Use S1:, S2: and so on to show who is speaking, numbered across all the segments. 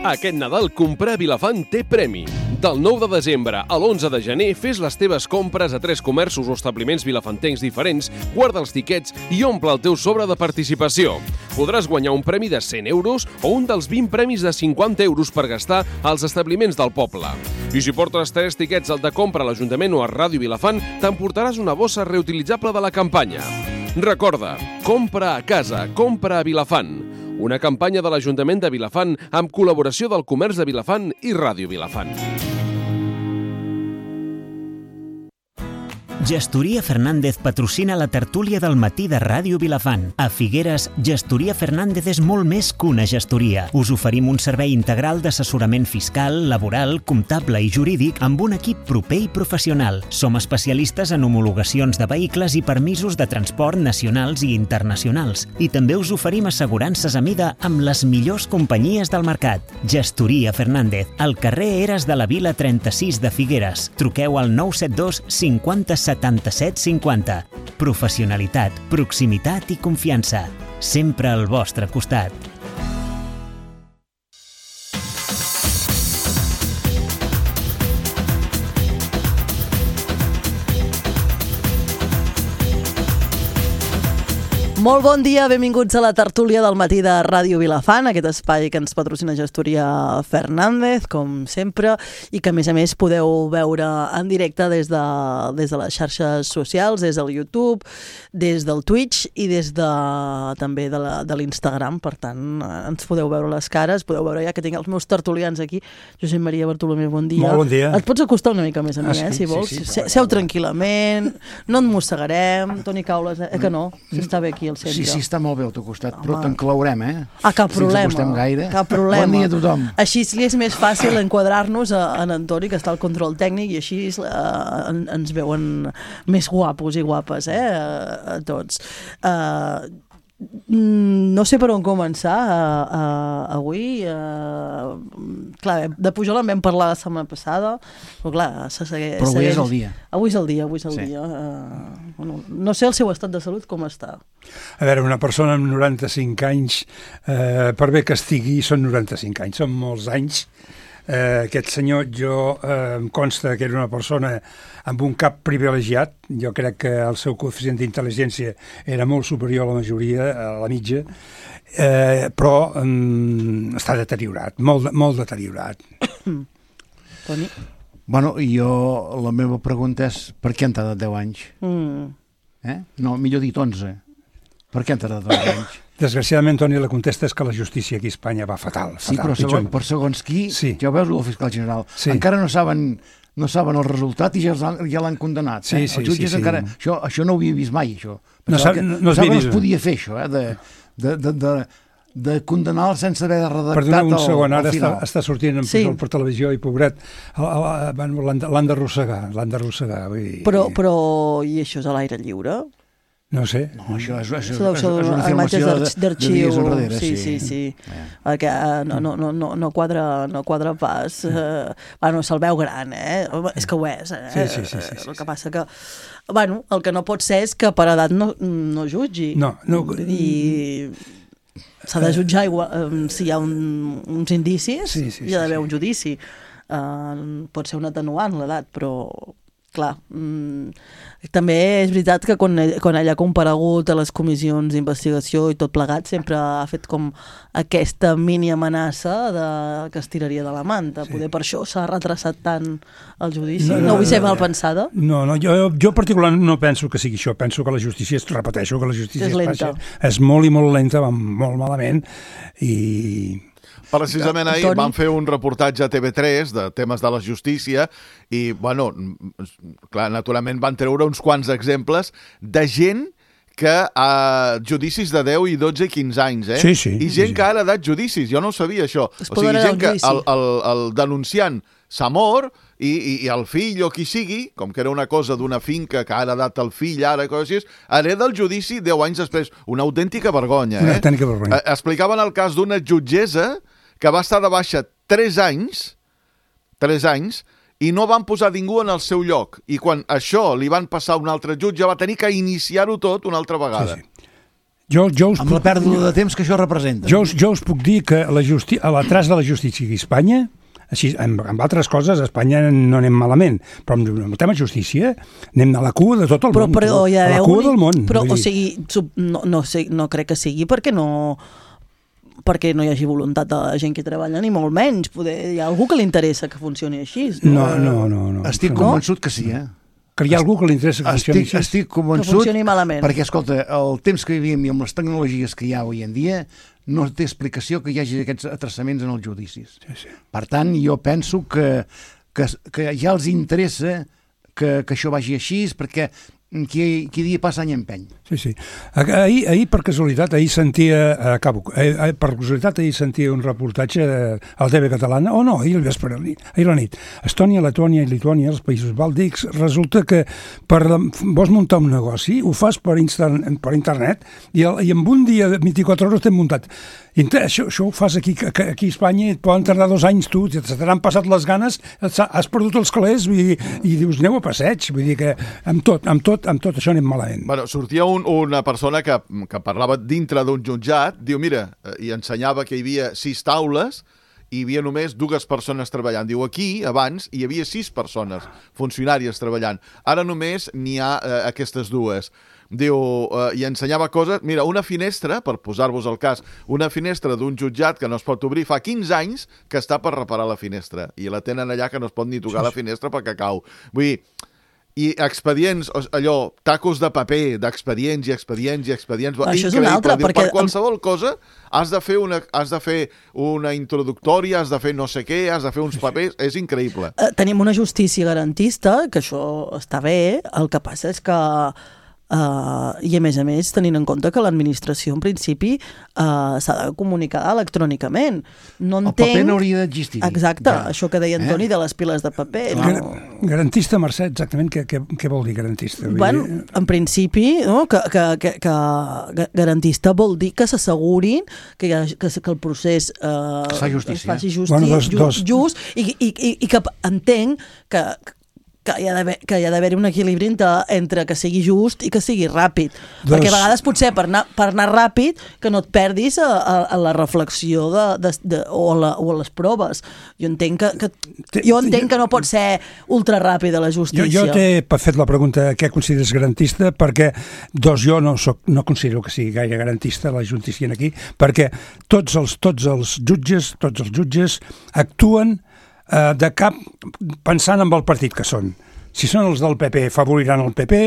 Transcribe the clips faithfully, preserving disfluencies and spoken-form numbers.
S1: Aquest Nadal comprar a Vilafant té premi. Del nou de desembre a l'onze de gener fes les teves compres a tres comerços o establiments vilafantencs diferents, guarda els tiquets i omple el teu sobre de participació. Podràs guanyar un premi de cent euros o un dels vint premis de cinquanta euros per gastar als establiments del poble. I si portes tres tiquets al de compra a l'Ajuntament o a Ràdio Vilafant, t'emportaràs una bossa reutilitzable de la campanya. Recorda, compra a casa, compra a Vilafant. Una campanya de l'Ajuntament de Vilafant amb col·laboració del Comerç de Vilafant i Ràdio Vilafant.
S2: Gestoria Fernández patrocina la tertúlia del matí de Ràdio Vilafant. A Figueres, Gestoria Fernández és molt més que una gestoria. Us oferim un servei integral d'assessorament fiscal, laboral, comptable i jurídic amb un equip proper i professional. Som especialistes en homologacions de vehicles i permisos de transport nacionals i internacionals. I també us oferim assegurances a mida amb les millors companyies del mercat. Gestoria Fernández, al carrer Eres de la Vila trenta-sis de Figueres. Truqueu al nou set dos cinquanta setanta-set cinquanta. Professionalitat, proximitat i confiança. Sempre al vostre costat.
S3: Molt bon dia, benvinguts a la tertúlia del matí de Ràdio Vilafant, aquest espai que ens patrocina Gestoria Fernández, com sempre, i que a més a més podeu veure en directe des de, des de les xarxes socials, des del YouTube, des del Twitch i des de, també de, la, de l'Instagram. Per tant, ens podeu veure les cares, podeu veure ja que tinc els meus tertulians aquí. Josep Maria Bartolomé, bon dia.
S4: Molt bon dia.
S3: Et pots acostar una mica més a mi,
S4: ah,
S3: eh,
S4: sí,
S3: si vols.
S4: Sí, sí,
S3: Seu tranquil·lament, no et mossegarem. Toni Caules, eh, que no? S'està bé aquí al centre.
S5: Sí, sí, està molt bé al teu costat,
S3: Home.
S5: però t'enclaurem, eh?
S3: Ah, cap problema.
S5: Si ens acostem gaire.
S3: Cap problema.
S5: Bon dia a tothom.
S3: Així li és més fàcil enquadrar-nos en Antoni, que està al control tècnic, i així uh, ens veuen més guapos i guapes, eh, a, a tots. Uh, no sé per on començar uh, uh, avui. Uh, clar, de Pujol en vam parlar la setmana passada, però clar, se segueix...
S5: Però avui és el dia.
S3: Avui és el dia, avui és el
S5: sí.
S3: dia. Uh, bueno, no sé el seu estat de salut com està.
S4: A veure, una persona amb noranta-cinc anys, eh, per bé que estigui, són noranta-cinc anys, són molts anys. Eh, aquest senyor, jo eh, em consta que era una persona amb un cap privilegiat. Jo crec que el seu coeficient d'intel·ligència era molt superior a la majoria, a la mitja, eh, però eh, està deteriorat, molt, molt deteriorat.
S3: Toni?
S5: Bueno, jo, la meva pregunta és per què han tardat deu anys?
S3: Mm.
S5: Eh? No, millor dit onze. Per què han tardat deu anys?
S4: Desgraciadament, Toni, la contesta és que la justícia aquí a Espanya va fatal. fatal
S5: Sí, però segon, per segons qui,
S4: sí.
S5: ja ho veus el fiscal general,
S4: sí.
S5: encara no saben, no saben el resultat i ja, ja l'han condemnat.
S4: Sí,
S5: eh?
S4: sí,
S5: Els jutges
S4: sí, sí.
S5: encara... Això, això no ho havia vist mai, això.
S4: No,
S5: Pensava
S4: sap,
S5: que,
S4: no, no,
S5: pensava que no
S4: vist.
S5: es podia fer, això, eh? de, de, de, de, de condenar sense haver redactat
S4: Perdona un
S5: el,
S4: segon, ara
S5: el
S4: està,
S5: final.
S4: està sortint en
S3: Sí.
S4: Pujol per televisió i pobret, l'han d'arrossegar, l'han d'arrossegar.
S3: Però, però, i això és a l'aire lliure?
S4: No sé.
S5: No, això és, és, és,
S3: Això
S5: és,
S3: són
S5: és una
S3: imatges
S5: afirmació de, de
S3: d'arxiu.
S5: dies enrere.
S3: Sí, sí, sí.
S5: Eh.
S3: Perquè uh, no, no, no, no, no, quadra, no quadra pas. Uh, bueno, se'l veu gran, eh? És que ho és, eh?
S4: Sí, sí, sí, sí, sí,
S3: el que passa que... Bueno, el que no pot ser és que per edat no, no jutgi.
S4: No, no.
S3: I s'ha de jutjar igual, um, si hi ha un, uns indicis,
S4: sí, sí,
S3: hi ha d'haver
S4: sí, sí.
S3: un judici. Uh, pot ser un atenuant l'edat, però... Clar, mm, també és veritat que quan, quan ella ha comparegut a les comissions d'investigació i tot plegat sempre ha fet com aquesta mini amenaça de, que es tiraria de la manta. Sí. Poder per això s'ha retrasat tant el judici. No, no, no vull ser mal pensada.
S4: No, no, jo, jo particularment no penso que sigui això. Penso que la justícia, repeteixo, que la justícia
S3: és lenta.
S4: És molt i molt lenta, va molt malament i...
S6: Precisament ahir
S3: Toni?
S6: van fer un reportatge a T V tres de temes de la justícia i, bueno, clar, naturalment van treure uns quants exemples de gent que a judicis de deu i dotze i quinze anys, eh?
S4: Sí, sí.
S6: I gent
S4: sí.
S6: que ara ha dat judicis, jo no ho sabia, això.
S3: Es
S6: o sigui,
S3: poden
S6: gent que
S3: anar al
S6: el, el, el denunciant s'ha mort i, i, i el fill o qui sigui, com que era una cosa d'una finca que ara ha dat el fill, ara, coses així, hereda el judici deu anys després. Una autèntica vergonya, eh?
S4: Una autèntica vergonya.
S6: Explicaven el cas d'una jutgessa que va estar de baixa tres anys, tres anys, i no van posar ningú en el seu lloc. I quan això li van passar a un altre jutge, va tenir que iniciar-ho tot una altra vegada.
S4: Sí, sí. Jo, jo us
S5: amb la
S4: puc,
S5: pèrdua de temps que això representa.
S4: jo, us- jo us puc dir que la justi a l'atràs de la justícia aquí a Espanya, així, amb, amb altres coses, a Espanya no anem malament, però amb, amb el tema justícia anem a la cua de tot el
S3: Però,
S4: món.
S3: però hi ha
S4: a la
S3: d'haver
S4: cua
S3: un-
S4: del món.
S3: Però,
S4: vull
S3: o
S4: dir.
S3: sigui, sub- no, no, sé, no crec que sigui perquè no perquè no hi hagi voluntat de la gent que treballa, ni molt menys. Poder, hi ha algú que li interessa que funcioni així.
S4: No, no, no. no.
S5: Estic
S4: no.
S5: convençut que sí, eh?
S4: Que hi ha algú que li interessa que funcioni
S5: Estic,
S4: així.
S5: estic
S3: Que
S5: convençut,
S3: funcioni malament.
S5: perquè, escolta, el temps que vivíem i amb les tecnologies que hi ha avui en dia no té explicació que hi hagi aquests atrasaments en els judicis.
S4: Sí, sí.
S5: Per tant, jo penso que, que, que ja els interessa que, que això vagi així, perquè qui, qui dia passa any empeny.
S4: Sí, sí. Ahir, ahir per casualitat, ahir sentia, acabo, ahir, per casualitat ahir sentia un reportatge a la T V catalana, o no, ahir al vespre, ahir a la nit. Estònia, Letònia i Lituània, els països bàltics, resulta que per, vols muntar un negoci, ho fas per, insta, per internet i, el, i en un dia de vint-i-quatre hores t'hem muntat. I això, això ho fas aquí, aquí a Espanya i et poden tardar dos anys tu, se t'han passat les ganes, has perdut els calés i, i dius, aneu a passeig, vull dir que amb tot, amb tot, amb tot això anem malament.
S6: Bueno, sortia un, una persona que, que parlava dintre d'un jutjat, diu, mira, i ensenyava que hi havia sis taules i hi havia només dues persones treballant. Diu, aquí, abans, hi havia sis persones, funcionàries treballant. Ara només n'hi ha eh, aquestes dues. Diu, eh, i ensenyava coses... Mira, una finestra, per posar-vos el cas, una finestra d'un jutjat que no es pot obrir fa quinze anys que està per reparar la finestra. I la tenen allà que no es pot ni tocar la finestra perquè cau. Vull dir, i expedients, allò, tacos de paper, d'expedients i expedients i expedients...
S3: Això és una altra,
S6: Diu,
S3: perquè...
S6: per qualsevol cosa has de fer una, has de fer una introductòria, has de fer no sé què, has de fer uns papers... És increïble.
S3: Eh, tenim una justícia garantista, que això està bé, el que passa és que Uh, i a més a més tenint en compte que l'administració en principi uh, s'ha de comunicar electrònicament. No entenc...
S5: El paper no hauria d'existir.
S3: Exacte,
S5: ja.
S3: Això que deia Antoni eh? de les piles de paper.
S4: Gar
S3: No.
S4: Garantista, Mercè, exactament què, què, què vol dir garantista? Vull
S3: Bueno,
S4: dir...
S3: en principi, no? que, que, que, que garantista vol dir que s'assegurin que, hi ha, que, que el procés uh,
S5: es fa justícia.
S3: es faci justi,
S4: Bueno, dos-
S3: ju,
S4: dos.
S3: just i, i, i, i que entenc que que hi ha d'haver que hi ha d'haver un equilibri entre, entre que sigui just i que sigui ràpid.
S4: Dos.
S3: Perquè a vegades potser per anar, per anar ràpid que no et perdis a, a, a la reflexió de, de, de, o, a la, o a les proves. Jo entenc que, que, jo entenc que no pot ser ultra ràpida la justícia.
S4: Jo, jo t'he fet la pregunta què consideres garantista, perquè dos, jo no, soc, no considero que sigui gaire garantista la justícia aquí, perquè tots els, tots els jutges, tots els jutges actuen eh, de cap pensant en el partit que són. Si són els del P P, favoriran el P P,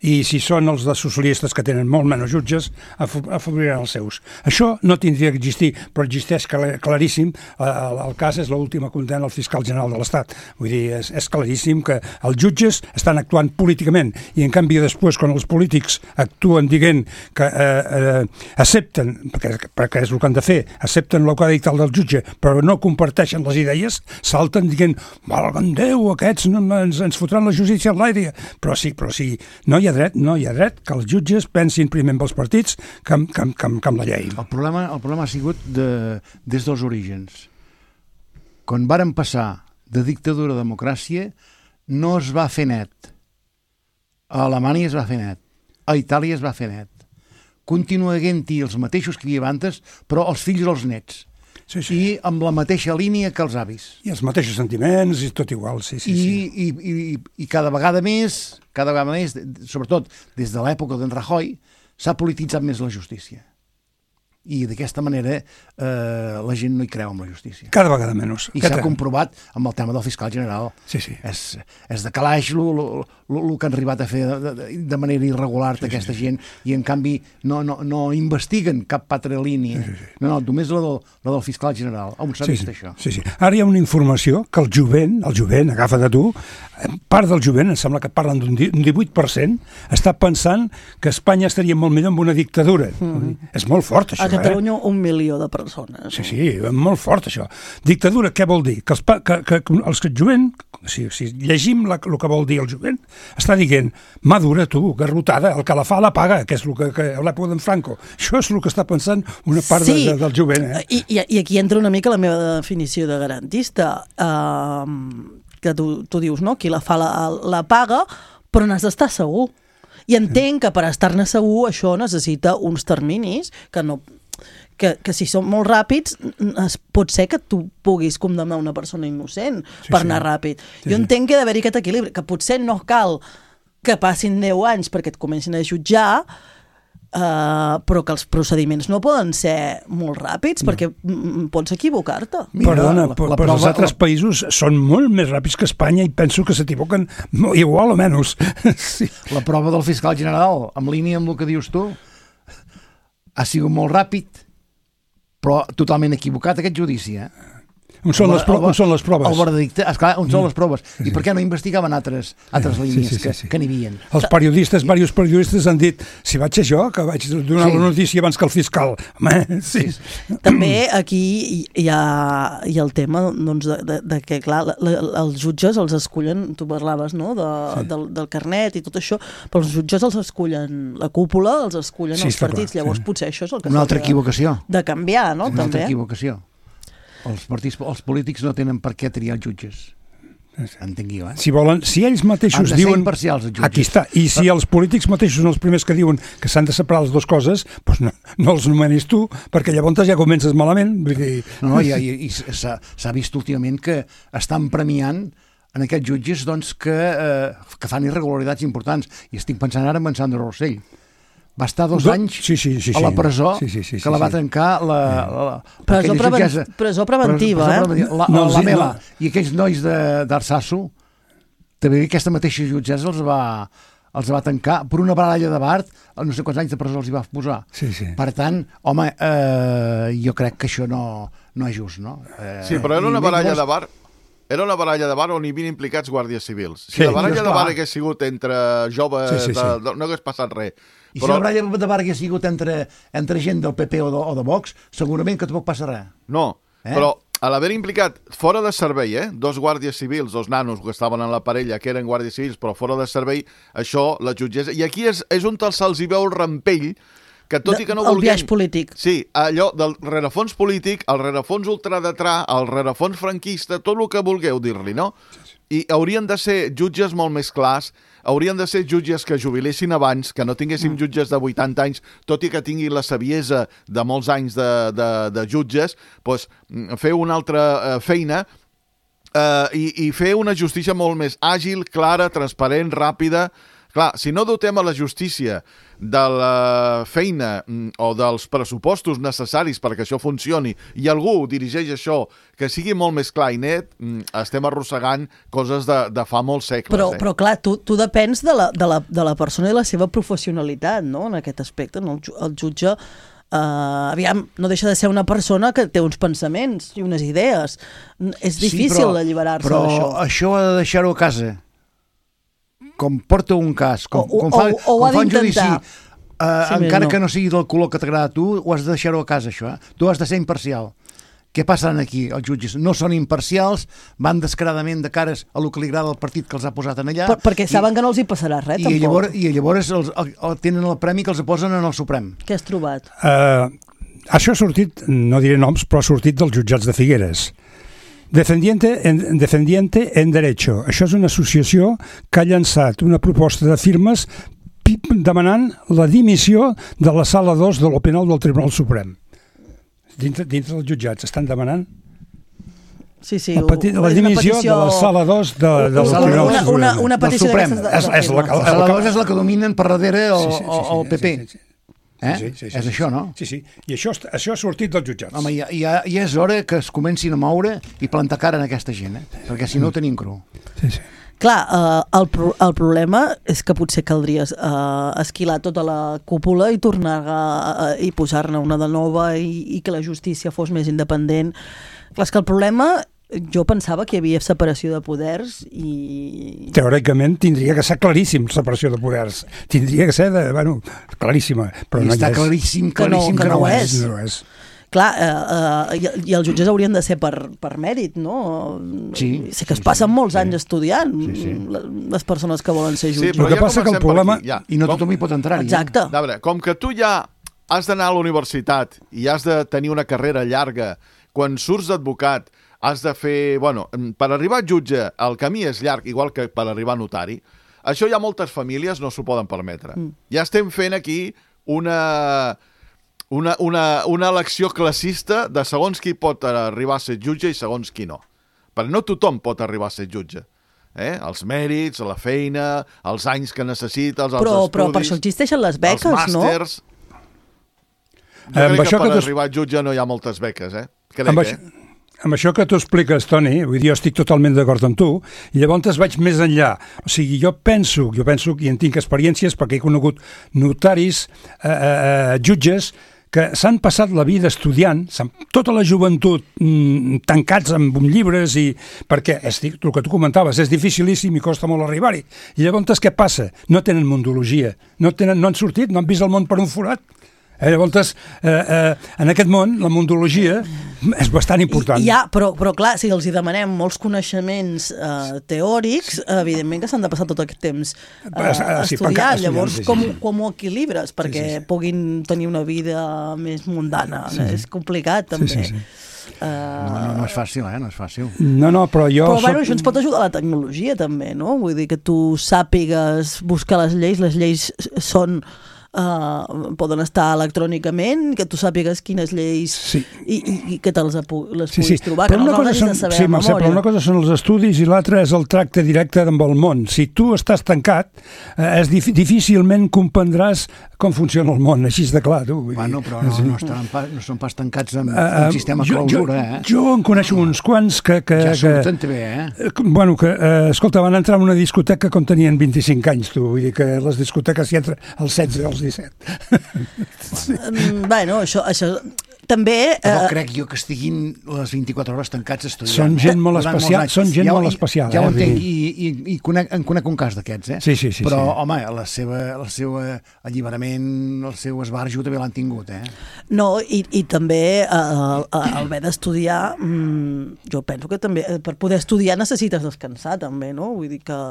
S4: i si són els de socialistes que tenen molt menys jutges, afavoriran els seus. Això no tindria que existir, però existeix claríssim. El, el cas és l'última condemna al fiscal general de l'Estat. Vull dir, és, és claríssim que els jutges estan actuant políticament, i en canvi després, quan els polítics actuen dient que eh, eh, accepten, perquè, perquè és el que han de fer, accepten el que ha dit el del jutge, però no comparteixen les idees, salten dient, valga'm Déu, aquests no, ens, ens fotran la justícia en l'aire. Però sí, però sí, no hi ha dret, no hi ha dret que els jutges pensin primer amb els partits que, que, que, que amb la llei.
S5: El problema, el problema ha sigut de, des dels orígens. Quan varen passar de dictadura a democràcia, no es va fer net. A Alemanya es va fer net. A Itàlia es va fer net. Continua havent-hi els mateixos que hi havia abans, però els fills i els nets.
S4: Sí, sí.
S5: I amb la mateixa línia que els avis.
S4: I els mateixos sentiments i tot igual, sí, sí.
S5: I,
S4: sí.
S5: i, i, i cada vegada més, cada vegada més, sobretot des de l'època d'en Rajoy, s'ha polititzat més la justícia. I d'aquesta manera eh, la gent no hi creu en la justícia.
S4: Cada vegada menys.
S5: I s'ha comprovat amb el tema del fiscal general.
S4: Sí, sí.
S5: És, és de calaix el que han arribat a fer de, de, de manera irregular sí, aquesta sí. gent, i en canvi no, no, no investiguen cap altra línia. Sí, sí, sí. No, no, només la del, la del fiscal general. On s'ha
S4: sí,
S5: vist
S4: sí.
S5: això?
S4: Sí, sí. Ara hi ha una informació que el jovent, el jovent, agafa de tu, part del jovent, em sembla que parlen d'un divuit per cent, està pensant que Espanya estaria molt millor amb una dictadura. Mm. És molt fort, això.
S3: A Catalunya eh? un milió de persones.
S4: Sí, sí, molt fort, això. Dictadura, què vol dir? Que els, que, que, que els que el jovent, si, si llegim la, el que vol dir el jovent, està dient, madura tu, garrotada, el que la fa la paga, que és el que, que a l'època d'en Franco. Això és el que està pensant una part sí, de, de, del jovent. Eh?
S3: I, i, I aquí entra una mica la meva definició de garantista. Uh, que tu, tu dius, no? Qui la fa la, la paga, però n'has d'estar segur. I entenc que per estar-ne segur això necessita uns terminis que no... Que, que si són molt ràpids es, pot ser que tu puguis condemnar una persona innocent sí, per anar sí. ràpid. Sí, jo entenc que ha d'haver-hi aquest equilibri, que potser no cal que passin deu anys perquè et comencin a jutjar, uh, però que els procediments no poden ser molt ràpids no. perquè pots equivocar-te.
S4: Perdona, la, la, però els altres la... països són molt més ràpids que Espanya i penso que s'equivoquen igual o menys. Sí.
S5: La prova del fiscal general, en línia amb el que dius tu, ha sigut molt ràpid, però totalment equivocat aquest judici, eh?
S4: On són, el, les, pro on són les proves?
S5: El veredicte, esclar, on són les proves? I per què no investigaven altres, altres línies sí, sí, sí, sí. que, que n'hi havia?
S4: Els periodistes, diversos periodistes han dit si vaig ser jo, que vaig donar sí. la notícia abans que el fiscal. Home, sí.
S3: Sí. També aquí hi ha, hi ha el tema doncs, de, de, de que, clar, la, la, els jutges els escullen, tu parlaves, no?, de, sí. del, del carnet i tot això, però els jutges els escullen la cúpula, els escullen sí, els partits, clar, llavors sí. potser això és el que
S5: Una altra equivocació.
S3: De canviar, no?,
S5: Una
S3: també.
S5: altra equivocació. Els, partits, els polítics no tenen per què triar jutges. Entengui jo, eh?
S4: Si volen, si ells mateixos
S5: han de
S4: diuen...
S5: imparcials, els jutges.
S4: Aquí està. I si els polítics mateixos són els primers que diuen que s'han de separar les dues coses, doncs no, no els nomenis tu, perquè llavors ja comences malament. Vull dir...
S5: No, i, i, i s'ha vist últimament que estan premiant en aquests jutges doncs, que, eh, que fan irregularitats importants. I estic pensant ara en Sandro Rossell. Va estar dos anys
S4: sí, sí, sí, sí.
S5: a la presó
S4: sí, sí, sí, sí,
S5: que la va trencar la, la, la,
S3: presó, preven jutgessa, presó preventiva, presó, presó,
S5: eh? La,
S4: no,
S5: la
S4: sí,
S5: Mela
S4: no.
S5: I aquells nois d'Arsasso, també aquesta mateixa jutgessa els va, els va tancar per una baralla de bar, no sé quants anys de presó els hi va posar.
S4: Sí, sí.
S5: Per tant, home, eh, jo crec que això no, no és just, no? Eh,
S6: sí, però era una baralla de bar... Era una baralla de bar on hi havien implicats guàrdies civils. Si sí, la baralla de bar hagués sigut entre joves, sí, sí, sí. De, no hagués passat res.
S5: I però... si la baralla de bar hagués sigut entre, entre gent del P P o de, o de Vox, segurament que tampoc passa res.
S6: No, eh? Però a l'haver implicat fora de servei, eh, dos guàrdies civils, dos nanos que estaven en la parella, que eren guàrdies civils, però fora de servei, això, la jutgessa... I aquí és, és on se'ls hi veu el rampell, que tot i que no
S3: vulguem...
S6: El
S3: biaix polític.
S6: Sí, allò del rerefons polític, el rerefons ultradetrà, el rerefons franquista, tot el que vulgueu dir-li, no? I haurien de ser jutges molt més clars, haurien de ser jutges que jubilessin abans, que no tinguéssim jutges de vuitanta anys, tot i que tinguin la saviesa de molts anys de, de, de jutges, doncs fer una altra eh, feina eh, i, i fer una justícia molt més àgil, clara, transparent, ràpida. Clar, si no dotem a la justícia de la feina o dels pressupostos necessaris perquè això funcioni i algú dirigeix això que sigui molt més clar i net, estem arrossegant coses de, de fa molts segles.
S3: Però,
S6: eh?
S3: però clar, tu, tu depens de la, de, la, de la persona i la seva professionalitat, no?, en aquest aspecte. No? El, el jutge, eh, aviam, no deixa de ser una persona que té uns pensaments i unes idees. És difícil sí, alliberar-se d'això.
S5: Però això ha de deixar-ho a casa. Com porta un cas, com,
S3: o,
S5: com fa,
S3: o, o
S5: com fa un judici, uh,
S3: sí,
S5: encara
S3: no.
S5: que no sigui del color que t'agrada a tu, ho has de deixar-ho a casa, això. Eh? Tu has de ser imparcial. Què passen aquí, els jutges? No són imparcials, van descaradament de cares a lo que li agrada al partit que els ha posat en allà.
S3: Per, perquè saben i, que no els hi passarà res,
S5: i
S3: tampoc.
S5: Llavors, I llavors els, el, el, tenen el premi que els posen en el Suprem.
S3: Què has trobat?
S4: Uh, això ha sortit, no diré noms, però ha sortit dels jutjats de Figueres. Defendiente en, Defendiente en Derecho. Això és una associació que ha llançat una proposta de firmes demanant la dimissió de la sala dos de lo penal del Tribunal Suprem. Dintre, dintre dels jutjats estan demanant
S3: sí, sí,
S4: la, peti, la dimissió petició... de la sala dos de, de del Tribunal
S3: una,
S4: Suprem.
S3: Una, una petició d'aquestes...
S4: És, és la,
S5: la sala dos és la que dominen per darrere el, sí, sí, sí, sí, el P P. Sí, sí, sí. Eh?
S4: Sí, sí, sí,
S5: és
S4: sí,
S5: això, no?
S4: Sí, sí. I això, això ha sortit dels jutjats.
S5: Home, ja, ja, ja és hora que es comencin a moure i plantar cara en aquesta gent, eh? Perquè si no ho tenim cru.
S4: Sí, sí.
S3: Clar, eh, el, pro, el problema és que potser caldria eh, esquilar tota la cúpula i tornar a, a, i posar-ne una de nova i, i que la justícia fos més independent. Clar, és que el problema... Jo pensava que hi havia separació de poders i...
S4: Teòricament tindria que ser claríssim separació de poders. Tindria que ser, de, bueno, claríssima. Però
S5: I
S4: no
S5: està
S4: és.
S5: claríssim, claríssim
S3: que no, que no,
S5: no
S3: és.
S4: No és.
S3: Clar, eh, eh, i, i els jutges haurien de ser per, per mèrit, no?
S5: Sí.
S3: Sé que
S5: sí,
S3: es passen
S5: sí,
S3: molts
S5: sí.
S3: anys estudiant,
S5: sí, sí.
S3: les persones que volen ser jutges.
S6: Sí, però
S4: el que
S6: ja
S4: passa que el problema...
S6: aquí, ja.
S5: I no
S6: com...
S5: tothom hi pot entrar-hi.
S3: Exacte.
S6: A veure, com que tu ja has d'anar a la universitat i has de tenir una carrera llarga, quan surts d'advocat has de fer... Bueno, per arribar a jutge el camí és llarg, igual que per arribar a notari. això ja moltes famílies no s'ho poden permetre. Mm. Ja estem fent aquí una, una, una, una elecció classista de segons qui pot arribar a ser jutge i segons qui no. Perquè no tothom pot arribar a ser jutge. Eh? Els mèrits, la feina, els anys que necessita, els,
S3: però,
S6: els estudis...
S3: Però per això existeixen les beques,
S6: els màsters...
S3: no?
S6: Jo crec que per que tu... arribar a jutge no hi ha moltes beques, eh? Crec,
S4: amb, això,
S6: eh?
S4: amb això que tu expliques, Toni, vull dir, jo estic totalment d'acord amb tu, i llavors vaig més enllà. O sigui, jo penso, jo penso i en tinc experiències perquè he conegut notaris, eh, eh, jutges, que s'han passat la vida estudiant, tota la joventut mm, tancats amb llibres, i perquè és, el que tu comentaves, és dificilíssim i costa molt arribar-hi. I llavors què passa? No tenen mondologia, no, tenen, no han sortit, no han vist el món per un forat. Eh, llavors, eh, eh, en aquest món, la mondologia és bastant important.
S3: I, ja, però, però clar, si els hi demanem molts coneixements eh, teòrics, evidentment que s'han de passar tot aquest temps eh,
S4: ah, sí,
S3: estudiant.
S4: estudiant.
S3: Llavors,
S4: Sí, sí.
S3: com, com ho equilibres? Perquè
S4: sí, sí.
S3: puguin tenir una vida més mundana. Sí, sí. És complicat, també.
S4: Sí, sí, sí.
S3: Uh...
S5: No, no, no és fàcil, eh? No és fàcil.
S4: No, no, però jo...
S3: Però
S4: soc...
S3: bueno, això ens pot ajudar la tecnologia, també, no? Vull dir que tu sàpigues buscar les lleis, les lleis són... Uh, poden estar electrònicament, que tu sàpigues quines lleis sí. i, i, i que te les, les
S4: sí,
S3: puguis
S4: sí.
S3: trobar,
S4: però
S3: que no
S4: les
S3: hagis
S4: són,
S3: de saber
S4: sí,
S3: a
S4: Mercè,
S3: memòria.
S4: però una cosa són els estudis i l'altra és el tracte directe amb el món. Si tu estàs tancat, eh, és dif difícilment comprendràs com funciona el món, així de clar. Tu.
S5: Bueno, però no, no, estan pas, no són pas tancats amb uh, un sistema jo, clausura, eh?
S4: Jo, jo en coneixo uns quants que... que
S5: ja surten
S4: que,
S5: bé, eh?
S4: Bueno, que, eh, escolta, van entrar en una discoteca quan tenien vint-i-cinc anys, tu. Vull dir que les discoteques hi entra als setze o als disset.
S3: Sí. Bueno, això, això també...
S5: Però
S3: eh...
S5: crec jo que estiguin les vint-i-quatre hores tancats estudiant.
S4: Són gent molt especial, són gent
S5: ja,
S4: molt especial.
S5: Ja ho
S4: eh?
S5: entenc, i, i, i conec, en conec un cas d'aquests, eh?
S4: Sí, sí, sí.
S5: Però,
S4: sí.
S5: home, la seva, el seu alliberament, el seu esbarjo també l'han tingut, eh?
S3: No, i, i també eh, el haver d'estudiar, mmm, jo penso que també, per poder estudiar necessites descansar, també, no? Vull dir que...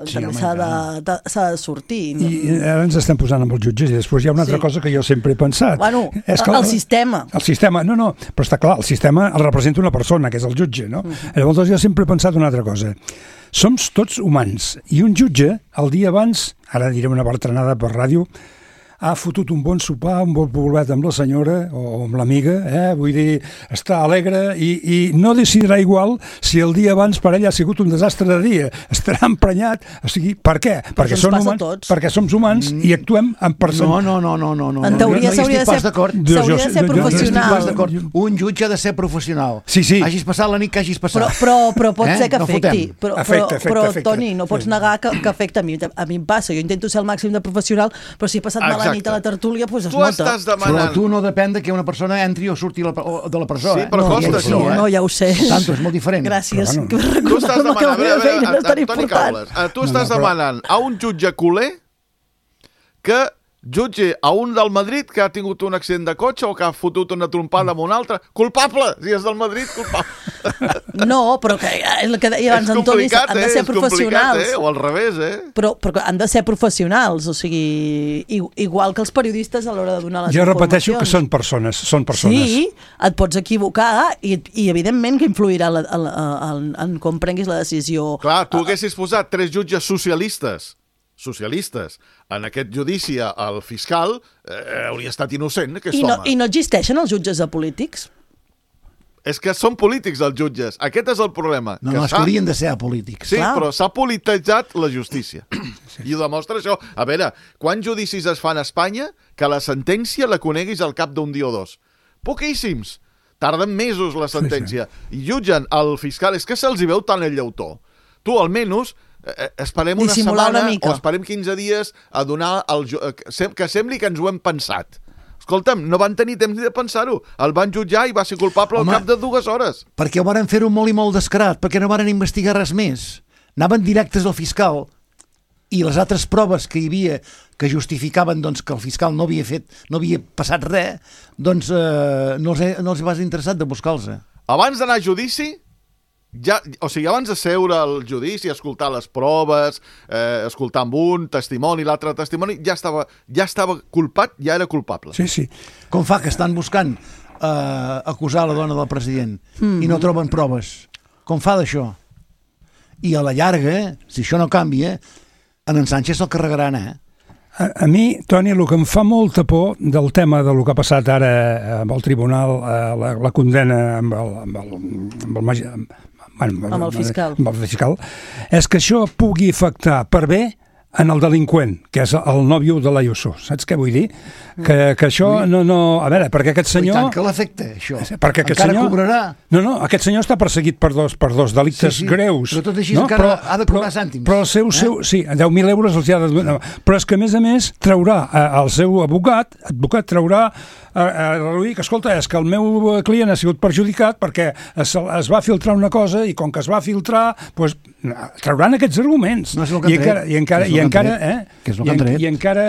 S3: Sí, també s'ha de, de, de sortir. No?
S4: I ara ens estem posant amb els jutges i després hi ha una altra sí. cosa que jo sempre he pensat.
S3: Bueno,
S4: és que
S3: el,
S4: el
S3: sistema.
S4: El sistema, no, no, però està clar, el sistema el representa una persona, que és el jutge, no? Uh-huh. Llavors jo sempre he pensat una altra cosa. Som tots humans i un jutge, el dia abans, ara diré una bertranada per ràdio, ha fotut un bon sopar, un bon poblet amb la senyora o amb l'amiga, eh? Vull dir, està alegre i, i no decidirà igual si el dia abans per ell ha sigut un desastre de dia. Estarà emprenyat. O sigui, per què? Perquè, són humans, perquè som humans mm. i actuem en persona.
S5: No, no, no, no, no.
S3: En teoria s'hauria de, de ser professional.
S5: Un jutge ha de ser professional.
S4: Sí, sí.
S5: Hagis passat la nit que hagis passat.
S3: Però, però, però pot eh? ser que afecti.
S5: No
S3: però,
S4: afecta,
S3: però,
S4: afecta,
S3: però
S4: afecta.
S3: Toni, no pots negar que, que afecta a mi. A mi em passa. Jo intento ser el màxim de professional, però si he passat mal a nit a la tertúlia, doncs es
S6: tu
S3: nota.
S6: Estàs demanant...
S5: Però tu no depèn de que una persona entri o surti de la presó.
S6: Sí, però
S3: no,
S6: costa
S3: sí,
S6: això, eh?
S3: No, ja ho sé.
S5: Tanto, és molt diferent.
S3: Gràcies.
S4: Però,
S3: bueno.
S6: Tu estàs demanant... A veure, a veure, a, a, Toni Caules, tu estàs no, no, però... demanant a un jutge culer que jutge a un del Madrid que ha tingut un accident de cotxe o que ha fotut una trompada amb un altre. Culpable! Si és del Madrid, culpable.
S3: No, però que és el que deia abans Antoni, han de ser
S6: eh?
S3: professionals.
S6: Eh? O al revés, eh?
S3: Però, però han de ser professionals, o sigui, igual que els periodistes a l'hora de donar les
S4: jo
S3: informacions.
S4: Jo repeteixo que són persones, són persones.
S3: Sí, et pots equivocar i, i evidentment que influirà la, la, la, en com prenguis la decisió.
S6: Clar, tu haguessis posat tres jutges socialistes socialistes en aquest judici al fiscal, eh, hauria estat innocent, aquest
S3: I no,
S6: home.
S3: I no existeixen els jutges de polítics?
S6: És que són polítics els jutges. Aquest és el problema.
S5: No,
S6: que
S5: no, és que haurien de ser apolítics.
S6: Sí,
S3: Clar.
S6: Però s'ha polititzat la justícia. Sí. I ho demostra això. A veure, quants judicis es fan a Espanya que la sentència la coneguis al cap d'un dia o dos? Poquíssims. Tarden mesos la sentència. Sí, sí. I jutgen el fiscal. És que se'ls hi veu tant el llautó. Tu, almenys, Eh, esperem una setmana
S3: una
S6: o esperem quinze dies a donar el, que sembli que ens ho hem pensat. Escolta'm, no van tenir temps ni de pensar-ho. El van jutjar i va ser culpable Home, al cap de dues hores.
S5: Perquè ho van fer-ho molt i molt descarat, perquè no van investigar res més. Anaven directes al fiscal i les altres proves que hi havia que justificaven doncs, que el fiscal no havia fet, no havia passat res, doncs eh, no, els, no els va interessat de buscar-los.
S6: Abans d'anar a judici, ja, o sigui, abans de seure al judici, escoltar les proves, eh, escoltar amb un testimoni, l'altre testimoni, ja estava, ja estava culpat, ja era culpable.
S4: Sí, sí.
S5: Com fa que estan buscant eh, acusar la dona del president mm-hmm. i no troben proves? Com fa d'això? I a la llarga, si això no canvia, en en Sánchez se'l carregaran, eh?
S4: A, a mi, Toni, el que em fa molta por del tema del que ha passat ara amb el tribunal, la, la condena amb el, amb el, amb el, magi, amb, bueno,
S3: amb el fiscal.
S4: amb el fiscal, és que això pugui afectar per bé en el delinqüent, que és el nòvio de l'Ayuso. Saps què vull dir? Que, que això no, no... A veure, perquè aquest senyor...
S5: I tant que l'afecta, això.
S4: Perquè aquest
S5: encara
S4: senyor...
S5: cobrarà.
S4: No, no, aquest senyor està perseguit per dos, per dos delictes
S5: sí, sí,
S4: greus.
S5: Però tot així
S4: no?
S5: encara
S4: però,
S5: ha de cobrar cèntims.
S4: Però el seu... Eh? seu sí, deu mil euros els hi ha de donar. Però és que, a més a més, traurà el seu advocat, advocat traurà a, a reduir que, escolta, és que el meu client ha sigut perjudicat perquè es, es va filtrar una cosa i com que es va filtrar, doncs, trauran aquests arguments.
S5: No és el que
S4: I encara, i encara, i encara, eh?
S5: Que és el que han tret.
S4: I encara...